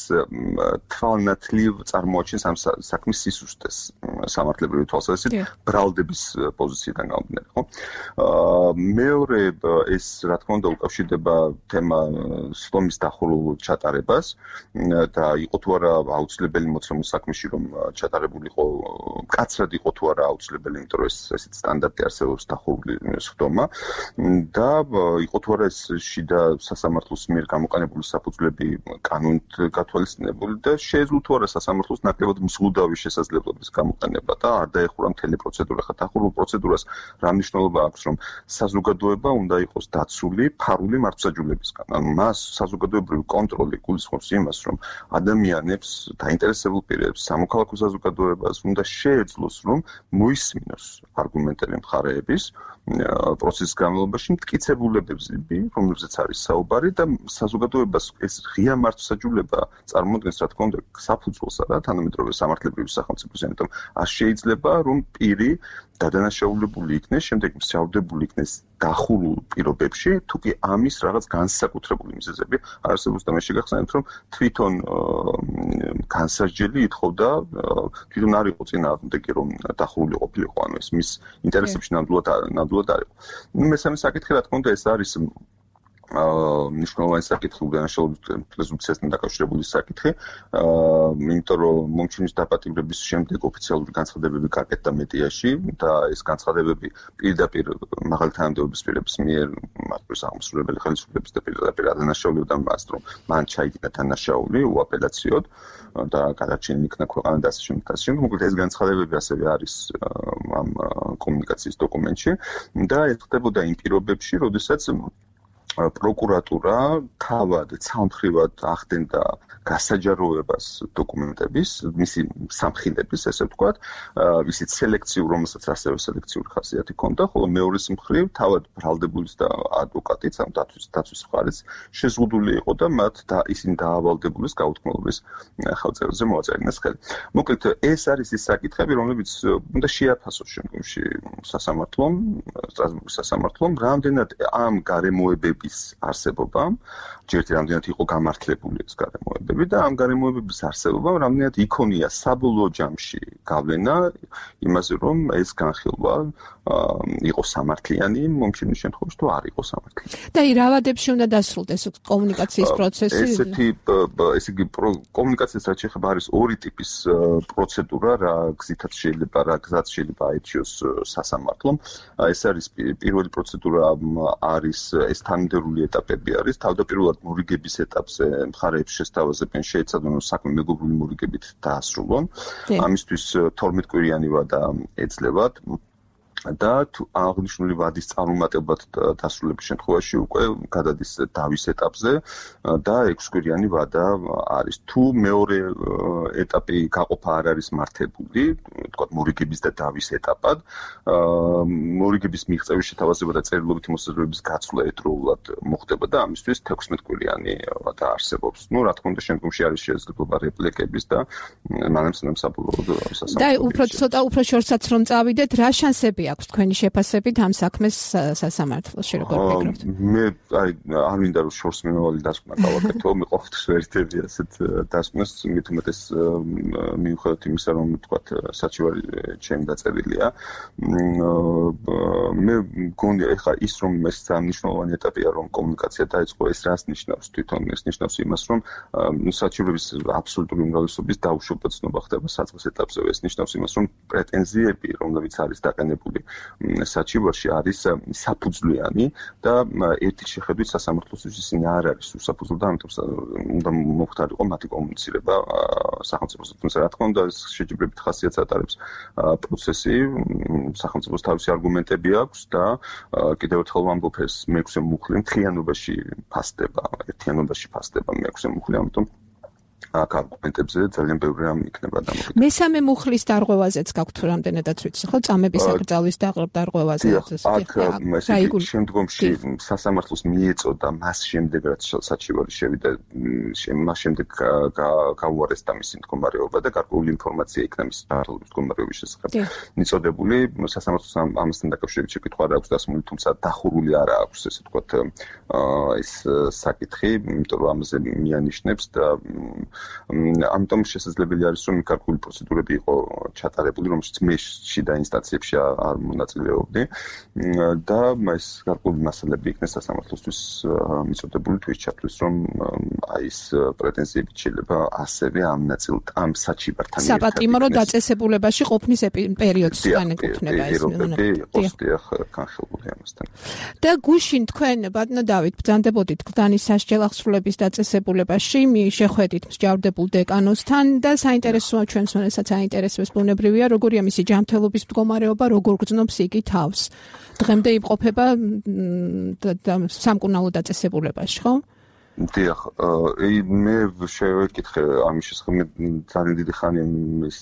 Speaker 5: თვალნათლივ წარმოაჩენს ამ საქმის სისუსტეს სამართლებრივი თვალსაზრისით ბრალდების პოზიციიდან გამომდინარე, ხო? მეორე ეს რა თქმა უნდა უკავშირდება თემა სლომის დახურულ ჩატარებას და იყო თუ არა აუცილებელი მოცემული საქმე რომ ჩატარებულიყო კაცრად იყო თუ არა აუცილებელი, იმიტომ რომ ესეთ სტანდარტი არსებობს დახურული სხდომა და იყო თუ არა ეს შიდა სასამართლოს მიერ გამოყენებული საფუძვლები კანონით გათვალისწინებული და შეეძლო თუ არა სასამართლოს ნაკლებად მსგლუდავი შესაძლებლობის გამოყენება და არ დაეხურა მთელი პროცედურა. ხა დახურულ პროცედურას რა მნიშვნელობა აქვს, რომ საზოგადოება უნდა იყოს დაცული ფარული მართლმსაჯულებისგან. ანუ მას საზოგადოებრივი კონტროლი გულისხმობს იმას, რომ ადამიანებს დაინტერესებულ პირებს სამოქალაქო საზოგადოებას უნდა შეეძლოს, რომ მოისმინოს არგუმენტები მხარეების პროცესის განმავლობაში მტკიცებულებებზე, რომლებზეც არის საუბარი და საზოგადოებას ეს ღია მართლმსაჯულება წარმოადგენს, რა თქმა უნდა, საფუძველსა და თანამედროვე სამართლებრივი სახელმწიფოს, ამიტომ არ შეიძლება, რომ პირი დადანაშაულებული იქნეს, შემდეგ მსჯავრდებული იქნეს დახურულ პირობებში, თუ კი ამის რაღაც განსაკუთრებული მიზეზები არსებობს და მე შეგახსენებთ, რომ თვითონ განსასჯელი ითხოვდა, თვითონ არ იყო წინააღმდეგი, რომ დახურული ყოფილიყო, ანუ ეს მის ინტერესებში ნამდვილად არ იყო. მესამე საკითხი, რა თქმა უნდა, ეს არის მნიშვნელოვანი საკითხი უდანაშაულობის პრეზუმპციასთან დაკავშირებული საკითხი, იმიტომ რომ მომჩინის დაპატიმრების შემდეგ ოფიციალური განცხადებები გაკეთდა მედიაში და ეს განცხადებები პირდაპირ მაღალი თანამდებობის პირების მიერ მასპირს აღმასრულებელი ხელისუფლების და პირდაპირ ადანაშაულებდა მას, რომ მან ჩაიგდა თანაშაული უაპელაციოდ და გადარჩენილი იქნა ქვეყანა და ასე შემდეგ. მოკლედ ეს განცხადებები ასევე არის ამ კომუნიკაციის დოკუმენტში და ეს ხდებოდა იმ პირობებში, როდესაც პროკურატურა თავად ცალმხრივად ახდენდა გასაჯაროებას დოკუმენტების, მისი სამხილების, ესე ვთქვათ, ისიც სელექციურ, რომელსაც ასევე სელექციური ხასიათი ჰქონდა, ხოლო მეორეს მხრივ თავად ბრალდებულის და ადვოკატიც, ამ დაცვის მხარეც შეზღუდული იყო და მათ ისინი დაავალდებულეს გაუთქმელობის ხელწერზე მოაწერინეს ხელი. მოკლედ, ეს არის ის საკითხები, რომლებიც უნდა შეაფასოს შემდგომში სასამართლომ, სტრასბურგის სასამართლომ, რამდენად ამ გარემოებების არსებობამ, ჯერჯერობით რამდენად იყო გამართლებული ეს გარემოებები და ამ გარემოებების არსებობამ რამდენად იქონია საბოლოო ჯამში გავლენა იმაზე, რომ ეს განხილვა იყო სამართლიანი, მომჩენის შემთხვევაში თუ არ იყო სამართლიანი.
Speaker 1: და რა ვადებში უნდა დასრულდეს კომუნიკაციის პროცესი?
Speaker 5: ესე იგი კომუნიკაციის რაც შეეხება არის ორი ტიპის პროცედურა, რა გზითაც შეიძლება, რა გზაც შეიძლება აირჩიოს სასამართლომ. ეს არის პირველი პროცედურა არის ეს თანმიმდევრული ეტაპები არის. თავდაპირველად მორიგების ეტაპზე მხარეებს შესთავაზებენ, შეეცადონ რომ საქმე მეგობრული მორიგებით დაასრულონ. ამისთვის 12 კვირიანი ვადა ეძლევათ. და აღნიშნული ვადის წარუმატებლად დასრულების შემთხვევაში უკვე გადადის დავის ეტაპზე და 6 კვირიანი ვადა არის. თუ მეორე ეტაპი გაყოფა არ არის მართებული, თქვათ მორიგების და დავის ეტაპად, მორიგების მიღწევის შეთავაზება და წერილობითი მოსაზრებების გაცვლა ერთდროულად მოხდება და ამისთვის 16 კვირიანი ვადა არსებობს. ნუ რა თქმა უნდა, შემდგომში არის შესაძლებლობა რეპლიკების და მანამ საბოლოოდ სასამართლო.
Speaker 1: და უფრო შორსაც რომ წავიდეთ, რა შანსები აქვს თქვენი შეფასებით ამ საქმეს სასამართლოში, როგორ ფიქრობთ?
Speaker 5: მე არ მინდა რომ შორს მიმავალი დასკვნა გავაკეთო, მე ყოველთვის ვერთები ასეთ დასკვნას, მით უმეტეს მიუხედავად იმისა, რომ თქვათ საჩივარი ჩემი დაწერილია. მე მგონია ეხლა ის რომ ეს მნიშვნელოვანი ეტაპია, რომ კომუნიკაცია დაიწყო, ეს რას ნიშნავს? თვითონ ეს ნიშნავს იმას, რომ საჩივრების აბსოლუტური უმრავლესობის დაუშვება ცნობა ხდება საწყის ეტაპზე. ეს ნიშნავს იმას, რომ პრეტენზიები, რომლებიც არის დაყენებული საჩივარში არის საფუძვლიანი და ერთი შეხედვით სასამართლოსთვის ისინი არ არის უსაფუძვლო და ამიტომ უნდა მოხდარიყო მათი კომუნიცირება სახელმწიფოსთან. თუმცა რა თქმა უნდა ეს შეჯიბრებით ხასიათს ატარებს პროცესი, სახელმწიფოს თავისი არგუმენტები აქვს და კიდევ ერთხელ ვამბობ ეს მეექვსე მუხლი მთლიანობაში ფასდება, ერთიანობაში ფასდება მეექვსე მუხლი, ამიტომ აქ არგუმენტებზე ძალიან ბევრი რამ იქნება დამოკიდებული.
Speaker 1: მესამე მუხლის დარღვევაზეც გაქვთ თუ რამდენადაც ვიცი, ხო? წამების საკრძალვის დარღვევაზე.
Speaker 5: აქ შემდგომში სასამართლოს მიეწოდა მას შემდეგ რაც საჩივარი შევიდა, მას შემდეგ გაუარესდა მისი მდგომარეობა და გარკვეული ინფორმაცია იქნა მისი საქართველოს მდგომარეობის შესახებ მიწოდებული. სასამართლოს ამასთან დაკავშირებით შეკითხვა არ აქვს დასმული, თუმცა დახურული არ აქვს, ესე ვთქვათ, ეს საკითხი, იმიტომ რომ ამაზე მიანიშნებს და ამიტომ შესაძლებელი არის რომ გარკვეული პროცედურები იყო ჩატარებული, რომელშიც მე შიდა ინსტანციებში არ მონაწილეობდი და ეს გარკვეული მასალები იქნა სასამართლოსთვის მიწოდებული თუ ის ჩათვლის რომ აი ეს პრეტენზიები შეიძლება ასევე ამ ნაწილ ამ საჩივართან
Speaker 1: საპატიმრო დაწესებულებაში ყოფნის პერიოდს განეკუთვნება ეს
Speaker 5: განხილული ამასთან.
Speaker 1: და გუშინ თქვენ ბატონო დავით ბრძანდებოდით გზანის სასჯელ აღსრულების დაწესებულებაში შეხვედით მსჯავრდებულ დეკანოსთან და საინტერესოა ჩვენს მონასაც აინტერესებს ბუნებრივია როგორია მისი ჯანმრთელობის მდგომარეობა, როგორ გრძნობს იგი თავს. დღემდე იმყოფება სამკურნალო დაწესებულებაში, ხო?
Speaker 5: დიახ, მე შევეკითხე ამის შესახებ ძალიან დიდი ხანი ის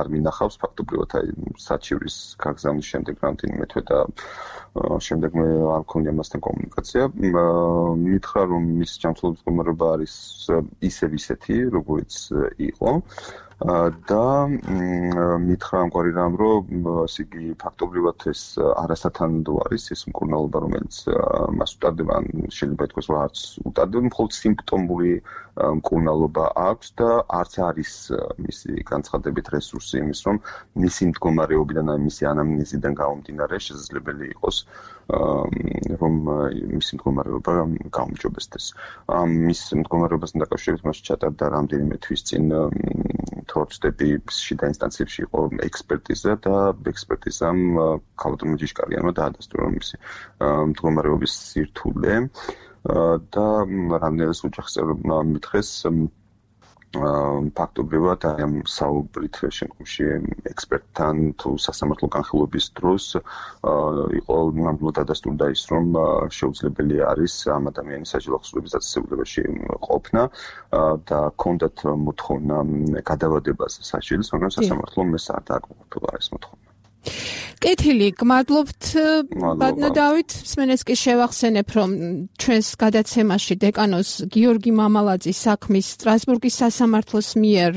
Speaker 5: არ მინახავს ფაქტობრივად აი საჩივრის გაგზავნის შემდეგ რამდენიმე თვე და შემდეგ მე არ მქონია მასთან კომუნიკაცია. მითხრა რომ მის ჯანმრთელობის მდგომარეობა არის ისევ ისეთი, როგორიც იყო. და მითხრა ამგვარი რამ, რომ ასე იგი ფაქტობრივად ეს არასათანადო არის ეს მკურნალობა, რომელიც მას უტარდება, ან შეიძლება ითქვას, რომ არც უტარდება, მხოლოდ სიმპტომური მკურნალობა აქვს და არც არის მისი განცხადებით რესურსი იმის, რომ მისი მდგომარეობიდან, ან მისი ანამნეზიდან გამომდინარე შესაძლებელი იყოს რომ მისი მდგომარეობა გაუმჯობესდეს. მის მდგომარეობასთან დაკავშირებით მას ჩატარდა რამდენიმე თვის წინ თორცდები შიდა ინსტანციებში იყო ექსპერტიზა და ექსპერტიზამ ქალბატონმა ჯიშკარიანმა დაადასტურა მისი მდგომარეობის სირთულე და რამდენადაც ოჯახის წევრებმა მითხრეს ფაქტობრივად აი ამ საუბრით შემდგომში ექსპერტთან თუ სასამართლო განხილვების დროს იყო ნამდვილად დადასტურდა ის რომ შეუძლებელი არის ამ ადამიანის სასჯელ აღსრულების დაწესებულებაში ყოფნა და ჰქონდათ მოთხოვნა გადავადებაზე სასჯელის, მაგრამ სასამართლომ ეს არ დააკმაყოფილა ეს მოთხოვნა.
Speaker 1: კეთილი, გმადლობთ ბატონო დავით, სმენეს კი შევახსენებ, რომ ჩვენს გადაცემაში დეკანოს გიორგი მამალაძის საქმის სტრასბურგის სასამართლოს მიერ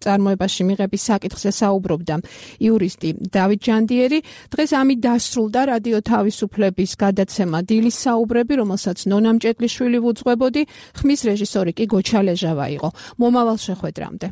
Speaker 1: წარმოებაში მიღების საკითხზე საუბრობდა იურისტი დავით ჯანდიერი. დღეს ამით დასრულდა რადიო თავისუფლების გადაცემა დილის საუბრები, რომელსაც ნონა მჭედლიშვილი ვუძღვებოდი, ხმის რეჟისორი კი გოჩა ლეჟავა იყო. მომავალ შეხვედრამდე.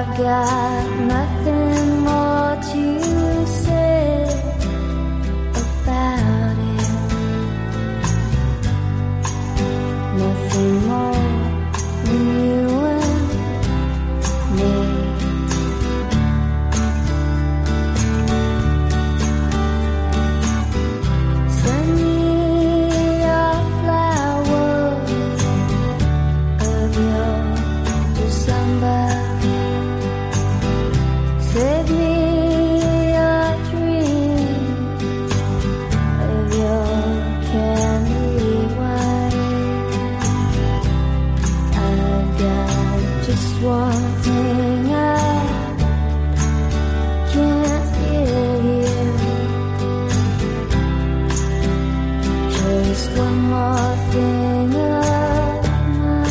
Speaker 6: I've got nothing more to say about it. Nothing more than you and me. Send me a flower of your December. Save me a dream of your candy wine. I've got just one thing I can't give you. Just one more thing of mine.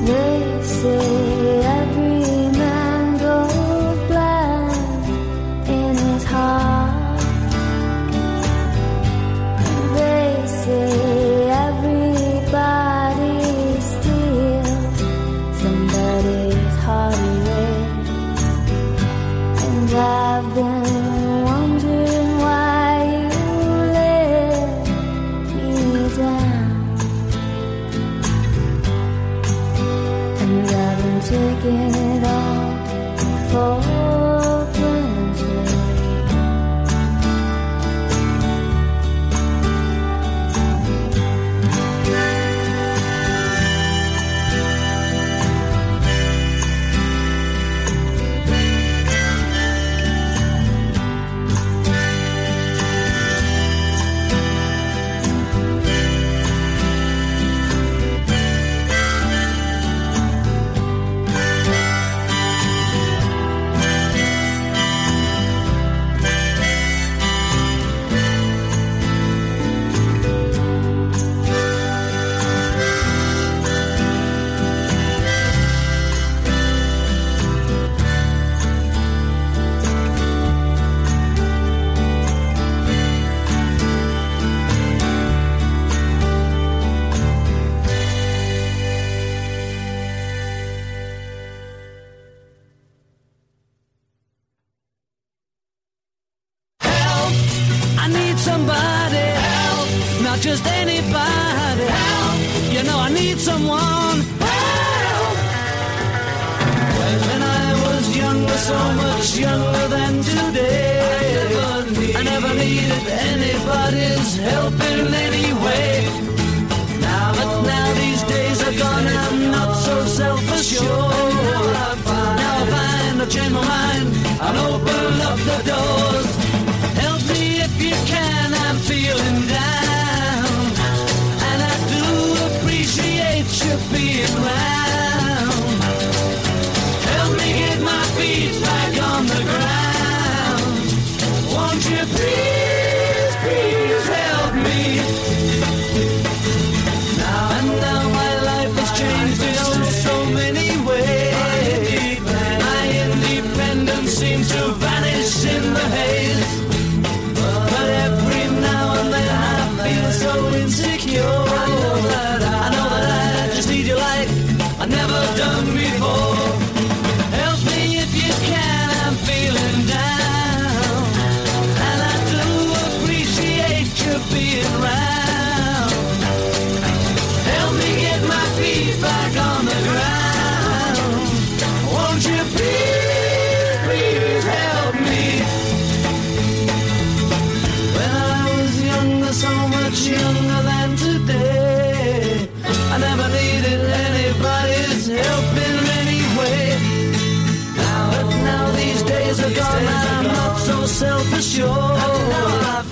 Speaker 6: They say every man goes blind in his heart. They say everybody steals somebody's heart away. And I've been wondering why you let me down. And I've been taking it all for granted.
Speaker 7: Help! I need somebody. Help! Not just anybody. Help! You know I need someone. Help! When I was younger, so much younger than today, I never needed anybody's help in any way. But now these days are gone, I'm not so self-assured. Now I find I've changed my mind, I'll open up the doors. Help me if you can, I'm feeling down. And I do appreciate you being round. Help me get my feet back on the ground. Won't you please, please help me? Now my life has changed in so many ways. My independence seems to vanish in the haze. But every now and then I feel so insecure. I know that I just need you like I've never done before. Help me if you can, I'm feeling down. And I do appreciate you being round. Help me get my feet back on the ground. Won't you please, please help me? When I was younger, so much younger than today, I never needed anybody's help in any self-assured. Now I